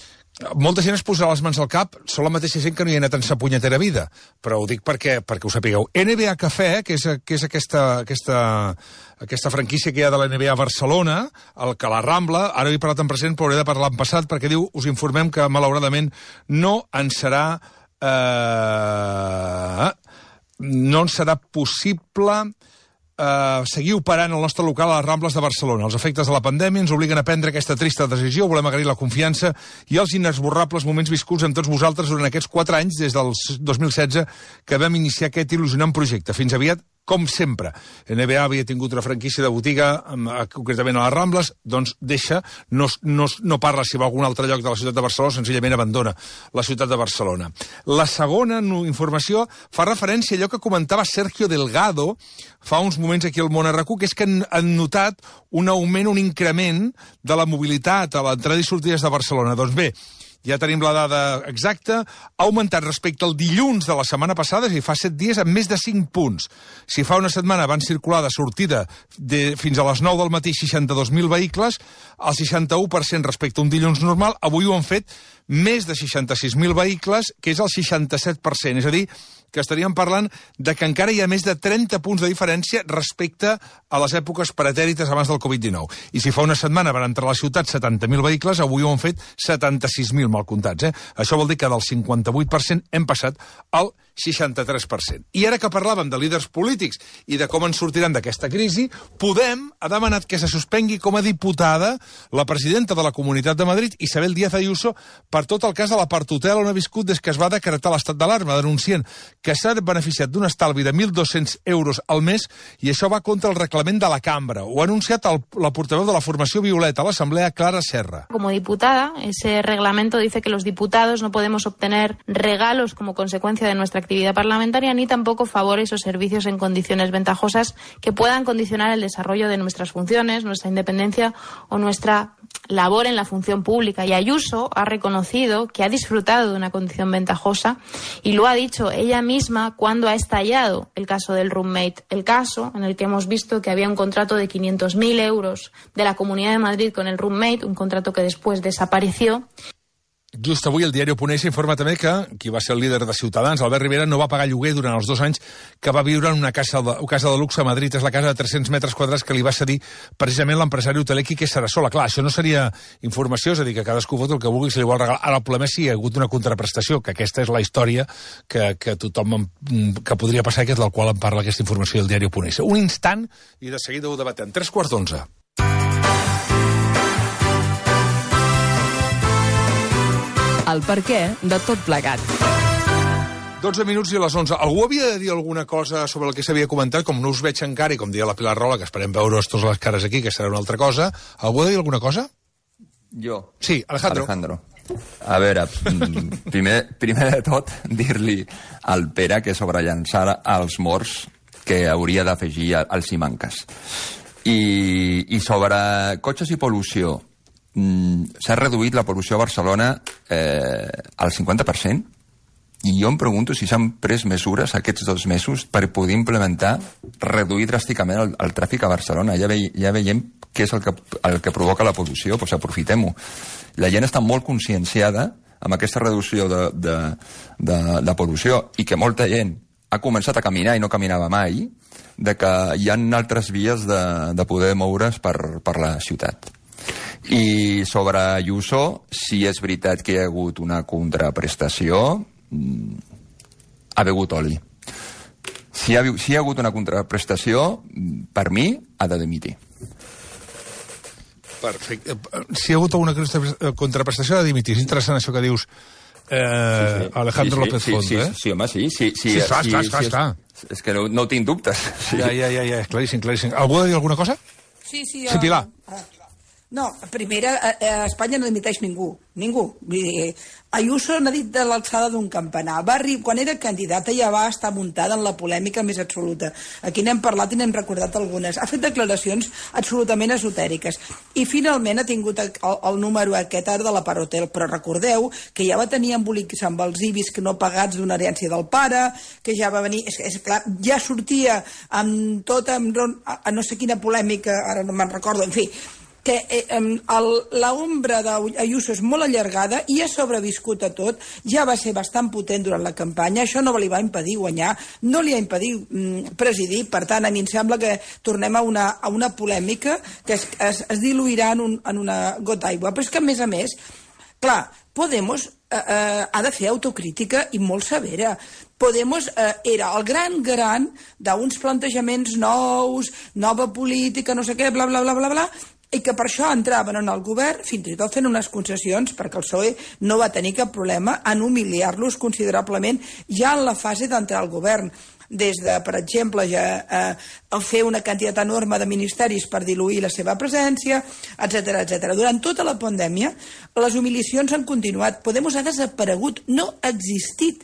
molta gent es posarà les mans al cap, són la mateixa gent que no hi ha anat en sa punyetera vida, però ho dic perquè, perquè ho sapigueu. N B A Cafè, que és, que és aquesta, aquesta, aquesta franquícia que hi ha de la N B A a Barcelona, el que la Rambla, ara he parlat en present però hauré de parlar en passat, perquè diu, us informem que malauradament no ens serà eh, no ens serà possible Uh, seguir operant el nostre local a les Rambles de Barcelona. Els efectes de la pandèmia ens obliguen a prendre aquesta trista decisió. Volem agrair la confiança i els inesborrables moments viscuts amb tots vosaltres durant aquests quatre anys, des del dos mil setze, que vam iniciar aquest il·lusionant projecte. Fins aviat, com sempre. N B A havia tingut una franquícia de botiga, concretament a les Rambles, doncs deixa, no, no, no parla si va a algun altre lloc de la ciutat de Barcelona, senzillament abandona la ciutat de Barcelona. La segona informació fa referència a allò que comentava Sergio Delgado fa uns moments aquí al Món R Q, que és que han, han notat un augment, un increment de la mobilitat a l'entrada i sortides de Barcelona. Doncs bé, ja tenim la dada exacta, ha augmentat respecte al dilluns de la setmana passada, i fa set dies, en més de cinc punts. Si fa una setmana van circular de sortida de, fins a les nou del matí seixanta-dos mil vehicles, el seixanta-u per cent respecte a un dilluns normal, avui ho han fet més de seixanta-sis mil vehicles, que és el seixanta-set per cent. És a dir, que estaríem parlant de que encara hi ha més de trenta punts de diferència respecte a les èpoques pretèrites abans del Covid dinou. I si fa una setmana van entrar a la ciutat setanta mil vehicles, avui ho han fet setanta-sis mil mal comptats. Eh? Això vol dir que del cinquanta-vuit per cent hem passat al seixanta-tres per cent. I ara que parlàvem de líders polítics i de com en sortiran d'aquesta crisi, Podem ha demanat que se suspengui com a diputada la presidenta de la Comunitat de Madrid, Isabel Díaz Ayuso, per tot el cas de l'aparthotel on ha viscut des que es va decretar l'estat d'alarma, denunciant que s'ha beneficiat d'un estalvi de mil dos-cents euros al mes i això va contra el reglament de la cambra. Ho ha anunciat el, la portaveu de la formació Violeta a l'Assemblea, Clara Serra. Como diputada, ese reglamento dice que los diputados no podemos obtener regalos como consecuencia de nuestra actividad parlamentaria ni tampoco favores o servicios en condiciones ventajosas que puedan condicionar el desarrollo de nuestras funciones, nuestra independencia o nuestra labor en la función pública. Y Ayuso ha reconocido que ha disfrutado de una condición ventajosa y lo ha dicho ella misma cuando ha estallado el caso del roommate, el caso en el que hemos visto que había un contrato de quinientos mil euros de la Comunidad de Madrid con el roommate, un contrato que después desapareció. Just avui el diari Oponent informa també que qui va ser el líder de Ciutadans, Albert Rivera, no va pagar lloguer durant els dos anys que va viure en una casa de, una casa de luxe a Madrid. És la casa de tres-cents metres quadrats que li va cedir precisament l'empresari hoteler Quique Sarasola. Clar, això no seria informació, és a dir, que cadascú fot el que vulgui si li vol regalar. Ara el problema és si hi ha hagut una contraprestació, que aquesta és la història que, que tothom que podria passar, que és del qual en parla aquesta informació del diari Oponent. Un instant i de seguida ho debatem. Tres quarts d'onze. El perquè de tot plegat. dotze minuts i a les onze. Algú havia de dir alguna cosa sobre el que s'havia comentat? Com no us veig encara, i com deia la Pilar Rola, que esperem veure-us tots les cares aquí, que serà una altra cosa. Algú ha de dir alguna cosa? Jo. Sí, Alejandro. Alejandro. A veure, primer, primer de tot, dir-li al Pere que sobre llançar als morts que hauria d'afegir als Simancas. I, I sobre cotxes i pol·lució, s'ha reduït la pol·lució a Barcelona eh, al cinquanta per cent, i jo em pregunto si s'han pres mesures aquests dos mesos per poder implementar, reduir dràsticament el, el tràfic a Barcelona. Ja, ve, ja veiem què és el que, el que provoca la pol·lució, doncs aprofitem-ho. La gent està molt conscienciada amb aquesta reducció de, de, de, de pol·lució, i que molta gent ha començat a caminar i no caminava mai, de que hi ha altres vies de, de poder moure's per, per la ciutat. I sobre Ayuso, si és veritat que hi ha hagut una contraprestació, ha begut oli. Si hi ha, si hi ha hagut una contraprestació, per mi, ha de dimitir. Perfecte. Si hi ha hagut alguna contraprestació, ha de dimitir. És interessant això que dius, eh, sí, sí. Alejandro sí, sí, López sí, Font, sí, eh? Sí, sí, home, sí. Sí, sí, sí, clar, sí, clar, sí, clar, sí, clar. És, és que no, no tinc dubtes. Sí. Ja, ja, ja, ja, claríssim, claríssim. Algú ha de dir alguna cosa? Sí, sí. Sí, Pilar. Uh, no, primera, a, a Espanya no dimiteix ningú. Ningú. Vull dir, Ayuso n'ha dit de l'alçada d'un campanar. Va arribar, quan era candidata ja va estar muntada en la polèmica més absoluta. Aquí n'hem parlat i n'hem recordat algunes. Ha fet declaracions absolutament esotèriques. I finalment ha tingut el, el número aquest ara de la Parotel. Però recordeu que ja va tenir embolics amb els ibis que no pagats d'una herència del pare, que ja va venir... És, és clar, ja sortia amb tota... Amb, a no sé quina polèmica, ara no me'n recordo, en fi... que eh, l'ombra d'Ayuso és molt allargada i ha sobreviscut a tot, ja va ser bastant potent durant la campanya, això no li va impedir guanyar, no li ha impedit mm, presidir, per tant, a mi em sembla que tornem a una, a una polèmica que es, es, es diluirà en, un, en una gota d'aigua, però és que a més a més, clar, Podemos eh, eh, ha de fer autocrítica i molt severa. Podemos eh, era el gran garant d'uns plantejaments nous, nova política, no sé què, bla, bla, bla, bla, bla, i que per això entraven en el govern, fins i tot fent unes concessions, perquè el P S O E no va tenir cap problema en humiliar-los considerablement ja en la fase d'entrar al govern. Des de, per exemple, ja, eh, fer una quantitat enorme de ministeris per diluir la seva presència, etcètera, etcètera. Durant tota la pandèmia, les humiliacions han continuat. Podemos ha desaparegut, no ha existit.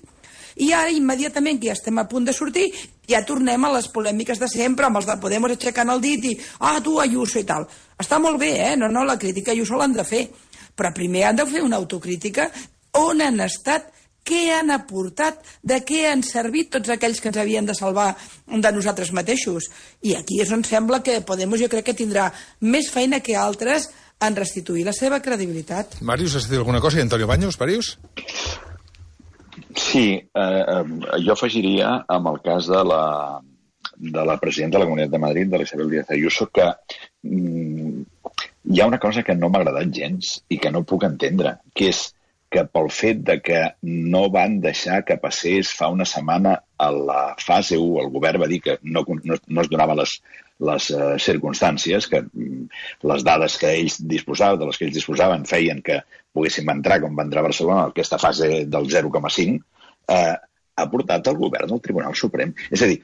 I ara, immediatament, que ja estem a punt de sortir, ja tornem a les polèmiques de sempre, amb els de Podemos aixecant el dit i ah, tu, Ayuso i tal. Està molt bé, eh? No, no, la crítica a Ayuso l'han de fer. Però primer han de fer una autocrítica on han estat, què han aportat, de què han servit tots aquells que ens havien de salvar de nosaltres mateixos. I aquí és on sembla que Podemos jo crec que tindrà més feina que altres en restituir la seva credibilitat. Màrius, has dit alguna cosa? I Antonio Baños, Màrius? Sí, eh, jo afegiria amb el cas de la, de la presidenta de la Comunitat de Madrid, de l'Isabel Díaz Ayuso, que mm, hi ha una cosa que no m'ha agradat gens i que no puc entendre, que és que pel fet de que no van deixar que passés fa una setmana a la fase u, el govern va dir que no, no, no es donaven les, les uh, circumstàncies, que mm, les dades que ells disposaven, de les que ells disposaven, feien que poguéssim entrar, com va entrar a Barcelona, en aquesta fase del zero coma cinc, eh, ha portat el govern al Tribunal Suprem. És a dir,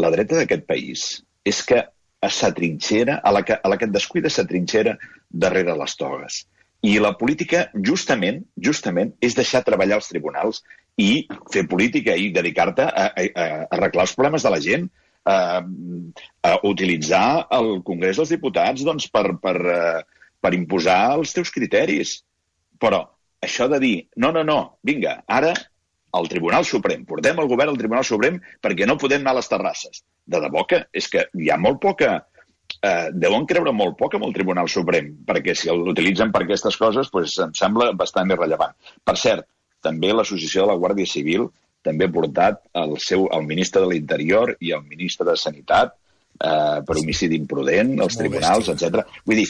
la dreta d'aquest país és que s'atrinxera, a la que, a la que et descuida s'atrinxera darrere les togues. I la política, justament, justament, és deixar treballar els tribunals i fer política i dedicar-te a, a, a arreglar els problemes de la gent, a, a utilitzar el Congrés dels Diputats doncs, per, per, per imposar els teus criteris. Però això de dir, no, no, no, vinga, ara al Tribunal Suprem, portem el govern al Tribunal Suprem perquè no podem anar a les terrasses. De debò que és que hi ha molt poca... Eh, deuen creure molt poc amb el Tribunal Suprem, perquè si l'utilitzen per aquestes coses, doncs em sembla bastant irrellevant. Per cert, també l'Associació de la Guàrdia Civil també ha portat el, seu, el ministre de l'Interior i el ministre de Sanitat eh, per homicidi imprudent, els tribunals, etcètera. Vull dir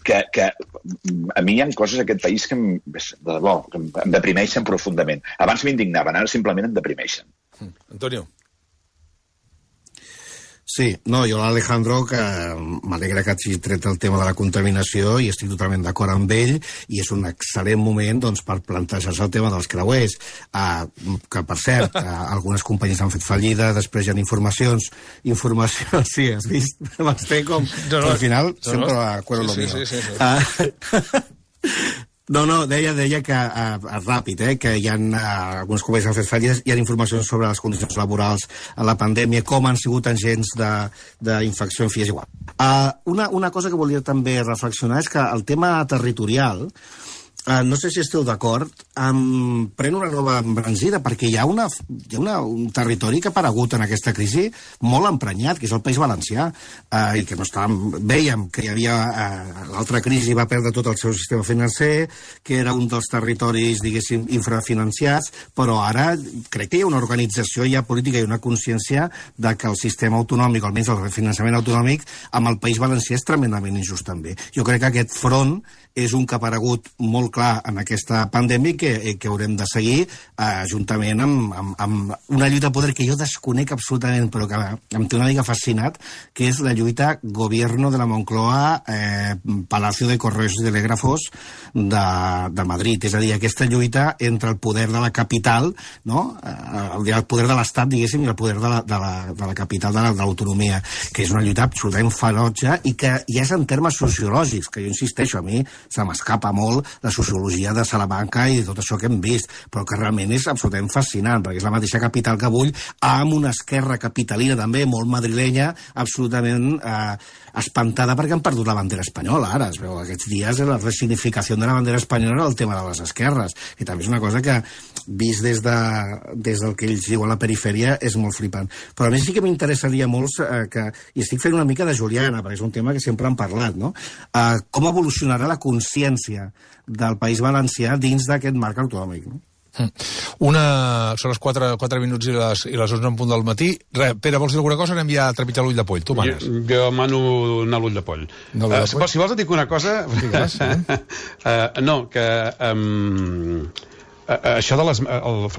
que, que a mi hi ha coses en aquest país que em, de debò, que em deprimeixen profundament. Abans m'indignaven, ara simplement em deprimeixen. Antonio. Sí, no, jo l'Alejandro, que m'alegra que hagi tret el tema de la contaminació i estic totalment d'acord amb ell, i és un excel·lent moment doncs, per plantejar-se el tema dels creuers, uh, que per cert, uh, algunes companyies han fet fallida, després hi ha informacions, informacions, sí, has vist? M'estic com... No, no, al final, no, sempre no. Acuerdo sí, lo mío. Sí, sí, sí, sí. Uh, No, no, deia, deia que, uh, ràpid, eh, que hi ha uh, algunes companyies que han fet fallides, hi ha informacions sobre les condicions laborals a la pandèmia, com han sigut agents d'infecció, en fi, és igual. Uh, una, una cosa que volia també reflexionar és que el tema territorial, Uh, no sé si esteu d'acord, um, pren una nova embranzida, perquè hi ha, una, hi ha una, un territori que ha aparegut en aquesta crisi molt emprenyat, que és el País Valencià, uh, i que no estàvem, vèiem que hi havia uh, l'altra crisi, va perdre tot el seu sistema financer, que era un dels territoris, diguéssim, infrafinanciats, però ara crec que hi ha una organització, hi ha política i una consciència de que el sistema autonòmic, almenys el finançament autonòmic, amb el País Valencià és tremendament injust també. Jo crec que aquest front és un que ha aparegut molt clar en aquesta pandèmia que, que haurem de seguir eh, juntament amb, amb, amb una lluita de poder que jo desconec absolutament, però que em té una mica fascinat, que és la lluita Gobierno de la Moncloa, eh, Palacio de Correos y Telégrafos de, de Madrid. És a dir, aquesta lluita entre el poder de la capital, no? el, el poder de l'Estat, diguéssim, i el poder de la, de la, de la capital, de l'autonomia, que és una lluita absolutament ferotge i que ja és en termes sociològics, que jo insisteixo, a mi se m'escapa molt la sociologia de Salamanca i tot això que hem vist, però que realment és absolutament fascinant, perquè és la mateixa capital que vull, amb una esquerra capitalina també, molt madrilenya, absolutament eh, espantada perquè han perdut la bandera espanyola, ara. Es veu, aquests dies la resignificació de la bandera espanyola era el tema de les esquerres, que també és una cosa que, vist des, de, des del que ells diuen a la perifèria, és molt flipant. Però a més sí que m'interessaria molt, eh, que, i estic fent una mica de Juliana, perquè és un tema que sempre han parlat, no? Eh, com evolucionarà la consciència del País Valencià dins d'aquest marc autonòmic, no? Una... Són les quatre, quatre minuts i les, i les onze en punt del matí. Re, Pere, vols dir alguna cosa? Anem ja a trepitjar l'ull de poll. Tu manes. Jo, jo mano anar a l'ull de poll. No, uh, si, si vols et dic una cosa... Digues, eh? uh, no, que... Um... Això de les...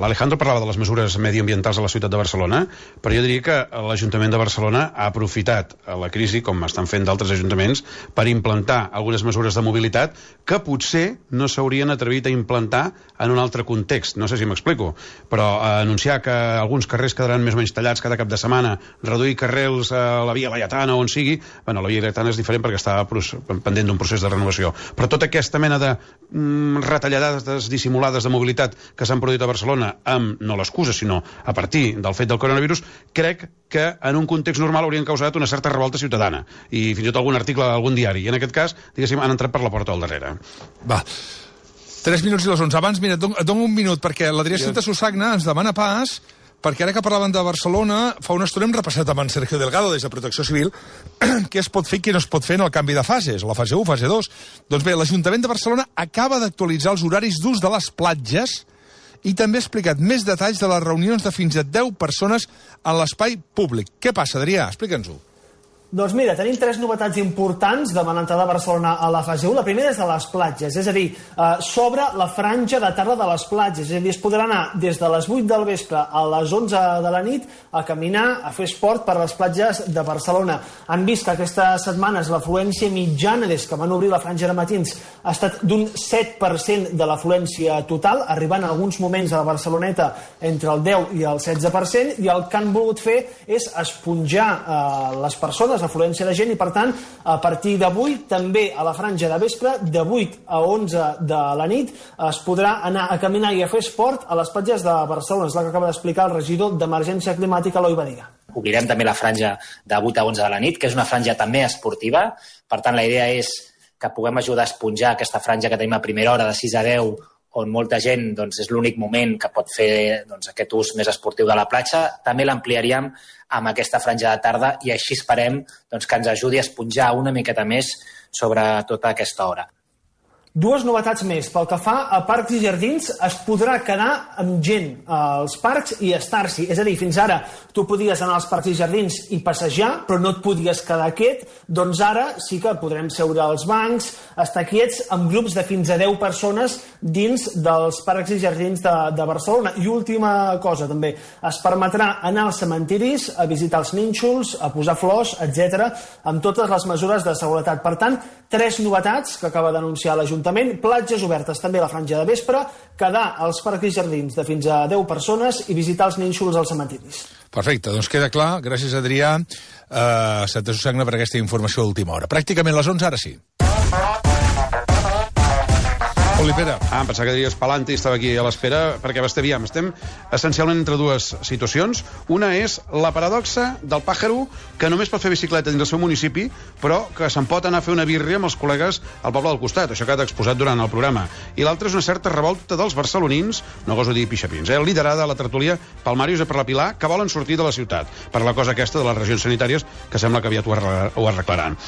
L'Alejandro parlava de les mesures medioambientals a la ciutat de Barcelona, però jo diria que l'Ajuntament de Barcelona ha aprofitat la crisi, com estan fent d'altres ajuntaments, per implantar algunes mesures de mobilitat que potser no s'haurien atrevit a implantar en un altre context. No sé si m'explico, però anunciar que alguns carrers quedaran més o menys tallats cada cap de setmana, reduir carrils a la Via Laietana o on sigui... Bueno, la Via Laietana és diferent perquè està pendent d'un procés de renovació, però tota aquesta mena de mm, retallades dissimulades de mobilitat que s'han produït a Barcelona amb, no l'excusa, sinó a partir del fet del coronavirus, crec que en un context normal haurien causat una certa revolta ciutadana i fins i tot algun article d'algun diari, i en aquest cas, diguéssim, han entrat per la porta del darrere. Va, tres minuts i les onze. Abans, mira, et dono, et dono un minut, perquè l'Adrià Santa Susagna ens demana pas, perquè ara que parlaven de Barcelona, fa una estona hem repassat amb en Sergio Delgado des de Protecció Civil què es pot fer i què no es pot fer en el canvi de fases, la fase u, fase dos. Doncs bé, l'Ajuntament de Barcelona acaba d'actualitzar els horaris d'ús de les platges i també ha explicat més detalls de les reunions de fins a deu persones en l'espai públic. Què passa, Adrià? Explica'ns-ho. Doncs mira, tenim tres novetats importants de l'entrada de Barcelona a la fase u. La primera és de les platges, és a dir, eh, s'obre la franja de tarda de les platges, és a dir, es podrà anar des de les vuit del vespre a les onze de la nit a caminar, a fer esport per les platges de Barcelona. Han vist que aquestes setmanes l'afluència mitjana des que van obrir la franja de matins ha estat d'un set per cent de l'afluència total, arribant en alguns moments a la Barceloneta entre el deu i el setze per cent, i el que han volgut fer és esponjar eh, les persones, l'afluència de gent, i per tant a partir d'avui també a la franja de vespre de vuit a onze de la nit es podrà anar a caminar i a fer esport a les platges de Barcelona. És la que acaba d'explicar el regidor d'Emergència Climàtica, Eloi Badia. Obrirem també la franja de vuit a onze de la nit, que és una franja també esportiva. Per tant, la idea és que puguem ajudar a esponjar aquesta franja que tenim a primera hora de sis a deu, on molta gent doncs, és l'únic moment que pot fer doncs, aquest ús més esportiu de la platja. També l'ampliaríem amb aquesta franja de tarda i així esperem doncs, que ens ajudi a esponjar una miqueta més sobre tota aquesta hora. Dues novetats més. Pel que fa a parcs i jardins, es podrà quedar amb gent als parcs i estar-s'hi. És a dir, fins ara tu podies anar als parcs i jardins i passejar, però no et podies quedar quiet. Doncs ara sí que podrem seure als bancs, estar quiets amb grups de fins a deu persones dins dels parcs i jardins de, de Barcelona. I última cosa, també, es permetrà anar als cementiris, a visitar els nínxols, a posar flors, etcètera, amb totes les mesures de seguretat. Per tant, tres novetats que acaba d'anunciar l'Ajuntament. Platges obertes també a la franja de vespre, quedar als parcs i jardins de fins a deu persones i visitar els nínxols als cementiris. Perfecte, doncs queda clar. Gràcies, Adrià. Uh, Santa Susanna, per aquesta informació d'última hora. Pràcticament les onze, ara sí. Oli Pere. Ah, em pensava que diries Palanti, estava aquí a l'espera, perquè aviam, estem essencialment entre dues situacions. Una és la paradoxa del pàjaro que només pot fer bicicleta dins del seu municipi, però que se'n pot anar a fer una birria amb els col·legues al poble del costat, això que ha exposat durant el programa. I l'altra és una certa revolta dels barcelonins, no goso dir pixapins, eh, liderada a la tertúlia pel Màrius i per la Pilar, que volen sortir de la ciutat, per la cosa aquesta de les regions sanitàries, que sembla que aviat ho, arreglar, ho arreglaran.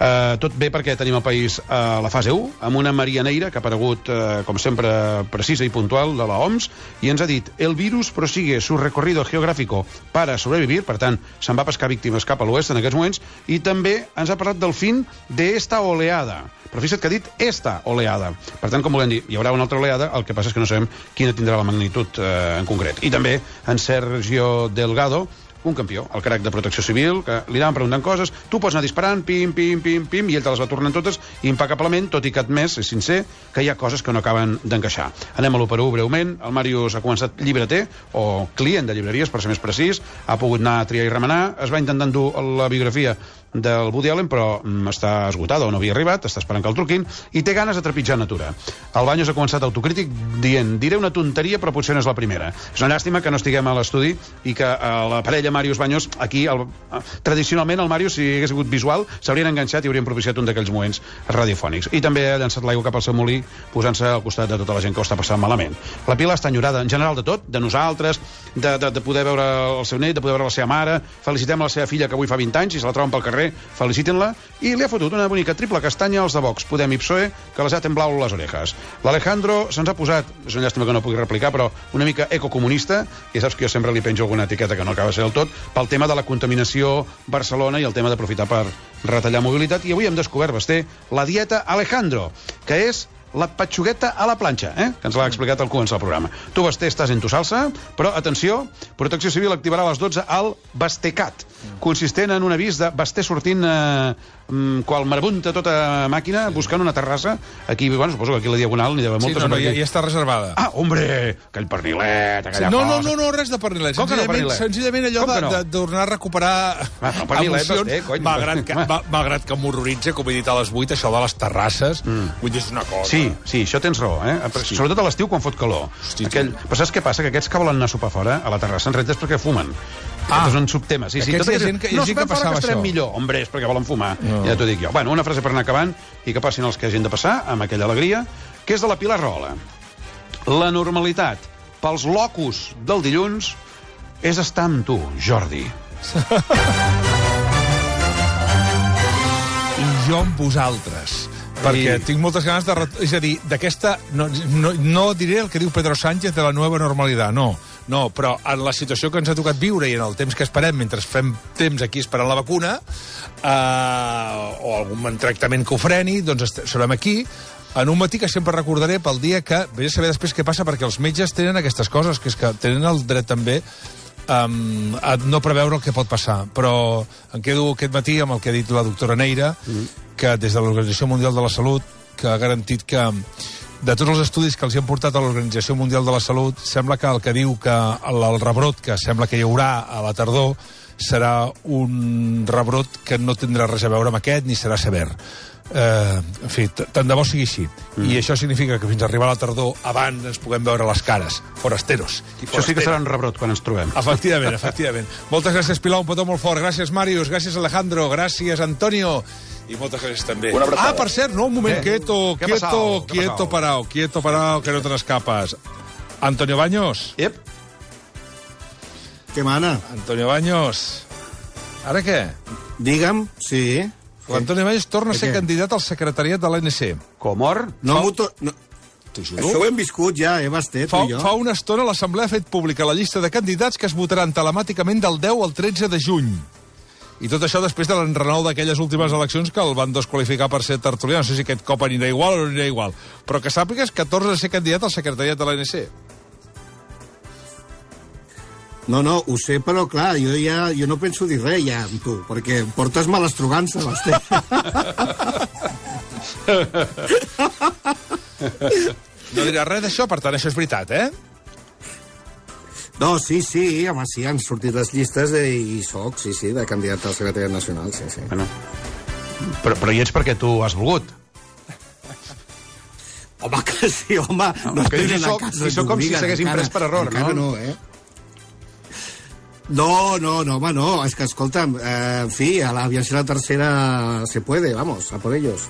Uh, tot bé perquè tenim el país a la fase u, amb una Maria Neira, que ha aparegut eh, com sempre precisa i puntual de la O M S, i ens ha dit: el virus prosigue su recorrido geográfico para sobrevivir, per tant, se'n va pescar víctimes cap a l'oest en aquests moments, i també ens ha parlat del fin d'esta oleada. Però fixa't que ha dit esta oleada. Per tant, com volem dir, hi haurà una altra oleada, el que passa és que no sabem quina tindrà la magnitud eh, en concret. I també en Sergio Delgado, un campió, el crac de Protecció Civil, que li anaven preguntant coses, tu pots anar disparant, pim, pim, pim, pim, i ell te les va tornant totes impecablement, tot i que admès, és sincer, que hi ha coses que no acaben d'encaixar. Anem a l'u per u breument. El Màrius ha començat llibreter, o client de llibreries, per ser més precís, ha pogut anar a triar i remenar, es va intentar endur la biografia del Woody Allen, però mm, està esgotada o no havia arribat, està esperant que el truquin, i té ganes de trepitjar natura. El Baños ha començat autocrític dient: diré una tonteria, però potser no és la primera. És una llàstima que no estiguem a l'estudi i que a la parella Màrius Baños, aquí, el, tradicionalment el Màrius, si hagués sigut visual, s'haurien enganxat i haurien propiciat un d'aquells moments radiofònics. I també ha llançat l'aigua cap al seu molí, posant-se al costat de tota la gent que ho està passant malament. La Pilar està enyorada, en general, de tot, de nosaltres, de, de, de poder veure el seu net, de poder veure la seva mare. Felicitem la seva filla, que avui fa vint anys, i se la troben pel carrer, feliciten-la, i li ha fotut una bonica triple castanya als de Vox, Podem i P S O E, que les ha temblau les orejas. L'Alejandro se'ns ha posat, és una llàstima que no pugui replicar, però una mica ecocomunista, i saps que jo sempre li penjo alguna etiqueta que no acaba de ser del tot, pel tema de la contaminació Barcelona i el tema d'aprofitar per retallar mobilitat, i avui hem descobert, Basté, la dieta Alejandro, que és la patxugueta a la planxa, eh? Que ens l'ha explicat al començar el programa. Tu, Basté, estàs en tu salsa, però, atenció, Protecció Civil activarà a les dotze el Bastecat, consistent en un avís de Basté sortint eh, qual marabunta tota màquina, buscant una terrassa, aquí, bueno, suposo que aquí a la Diagonal n'hi deu haver moltes. Sí, no, no, ja, ja està reservada. Ah, hombre, aquell pernilet, aquella sí, no, cosa. No, no, no, res de pernilet. Com que no pernilet? Senzillament allò de, no? de, de tornar a recuperar ah, no, pernilet, emocions, Basté, cony. Malgrat que, malgrat que m'horroritza, com he dit a les vuit, això de les terrasses, mm. vull dir, és una cosa. Sí, sí, això tens raó, eh? Sí. Sobretot a l'estiu quan fot calor. Hosti, Aquell... Però saps què passa? Que aquests que volen anar a sopar fora, a la terrassa, en realitat és perquè fumen. Ah, és un subtema. Sí, sí, aquests hi ha gent que, no, gent que passava que això. Millor. Hombre, és perquè volen fumar. No. Ja t'ho dic jo. Bueno, una frase per anar acabant i que passin els que hagin de passar, amb aquella alegria, que és de la Pilar Rahola. La normalitat pels locus del dilluns és estar amb tu, Jordi. I jo amb vosaltres. Perquè I... tinc moltes ganes de... És a dir, d'aquesta... No, no, no diré el que diu Pedro Sánchez de la nova normalitat, no. No, però en la situació que ens ha tocat viure i en el temps que esperem, mentre fem temps aquí esperant la vacuna, eh, o algun tractament que ho freni, doncs serem aquí, en un matí que sempre recordaré pel dia que... Vaig a saber després què passa, perquè els metges tenen aquestes coses, que és que tenen el dret també um, a no preveure el que pot passar. Però em quedo aquest matí amb el que ha dit la doctora Neira, mm. que des de l'Organització Mundial de la Salut, que ha garantit que de tots els estudis que els han portat a l'Organització Mundial de la Salut, sembla que el que diu que el, el rebrot que sembla que hi haurà a la tardor serà un rebrot que no tindrà res a veure amb aquest ni serà sever. Eh, en fi, tant de bo sigui així. Mm. I això significa que fins a arribar a la tardor abans ens puguem veure les cares, forasteros. I això sí que serà un rebrot quan ens trobem. Efectivament, efectivament. Moltes gràcies, Pilar, un petó molt fort. Gràcies, Màrius. Gràcies, Alejandro. Gràcies, Antonio. I moltes gràcies també. Ah, per cert, no, un moment, eh? quieto, ¿Qué quieto, quieto, parao, quieto, parao, que no te n'escapes. Antonio Baños. Yep. Què mana? Antonio Baños. Ara què? Digue'm, sí. L'Antoni Valls torna a ser candidat al secretariat de l'A N C. Comor? No, fa... no. Això ho hem viscut ja, eh, Basté, fa, tu i jo. Fa una estona l'Assemblea ha fet pública la llista de candidats que es votaran telemàticament del deu al tretze de juny. I tot això després de l'enrenou d'aquelles últimes eleccions que el van desqualificar per ser tertulià. No sé si aquest cop anirà igual o no anirà igual. Però que sàpigues que torna a ser candidat al secretariat de l'A N C. No, no, ho sé, però clar, jo ja jo no penso dir res ja amb tu, perquè portes males trugances, Basté. No dirà res d'això, per tant, això és veritat, eh? No, sí, sí, home, sí, han sortit les llistes de, i soc, sí, sí, de candidat al secretariat nacional, sí, sí. Bueno, però, però hi ets perquè tu has volgut. Home, que sí, home. No, no que dius, soc, si soc com si s'haguessin pres per error, encara no? no, eh? No, no, no, home, no, és que, escolta'm, eh, en fi, a l'aviació si la tercera se puede, vamos, a por ellos.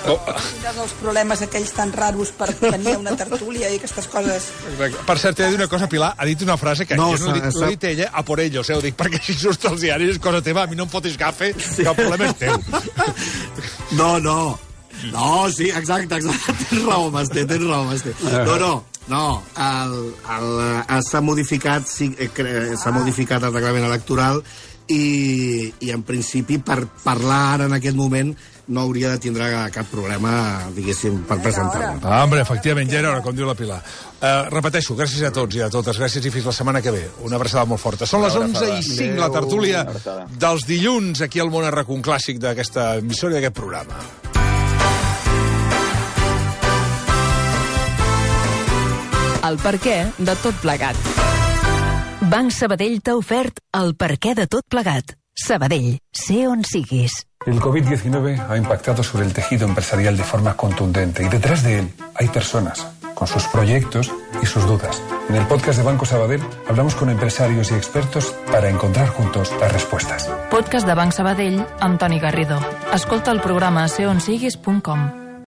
Oh. Un dels problemes aquells tan raros per tenir una tertúlia i aquestes coses. Exacte. Per cert, t'he de dir una cosa, Pilar, ha dit una frase que no, jo no l'he dit, dit ella, a por ellos, eh, ho dic, perquè si surts als diaris és cosa teva, a mi no em fotis gafe, sí. Que el problema és teu. No, no, no, sí, exacte, exacte, tens raó, Basté, tens raó, Basté. No, no, no, s'ha modificat, sí, s'ha modificat el reglament electoral i, i en principi per parlar ara en aquest moment no hauria de tindre cap problema, diguéssim, per presentar-lo. Ah, hombre, efectivament, ja era hora, com diu la Pilar. Uh, repeteixo, gràcies a tots i a totes, gràcies i fins la setmana que ve. Una abraçada molt forta. Són les onze i cinc, la tertúlia dels dilluns aquí al Món Arracón Clàssic d'aquesta emissora i d'aquest programa. El perquè de tot plegat. Banc Sabadell t'ha ofert el perquè de tot plegat. Sabadell, sé on siguis. El covid diecinueve ha impactado sobre el tejido empresarial de forma contundente y detrás de él hay personas con sus proyectos y sus dudas. En el podcast de Banco Sabadell hablamos con empresarios y expertos para encontrar juntos las respuestas. Podcast de Banc Sabadell amb Toni Garrido. Escolta el programa a sé on siguis punt com.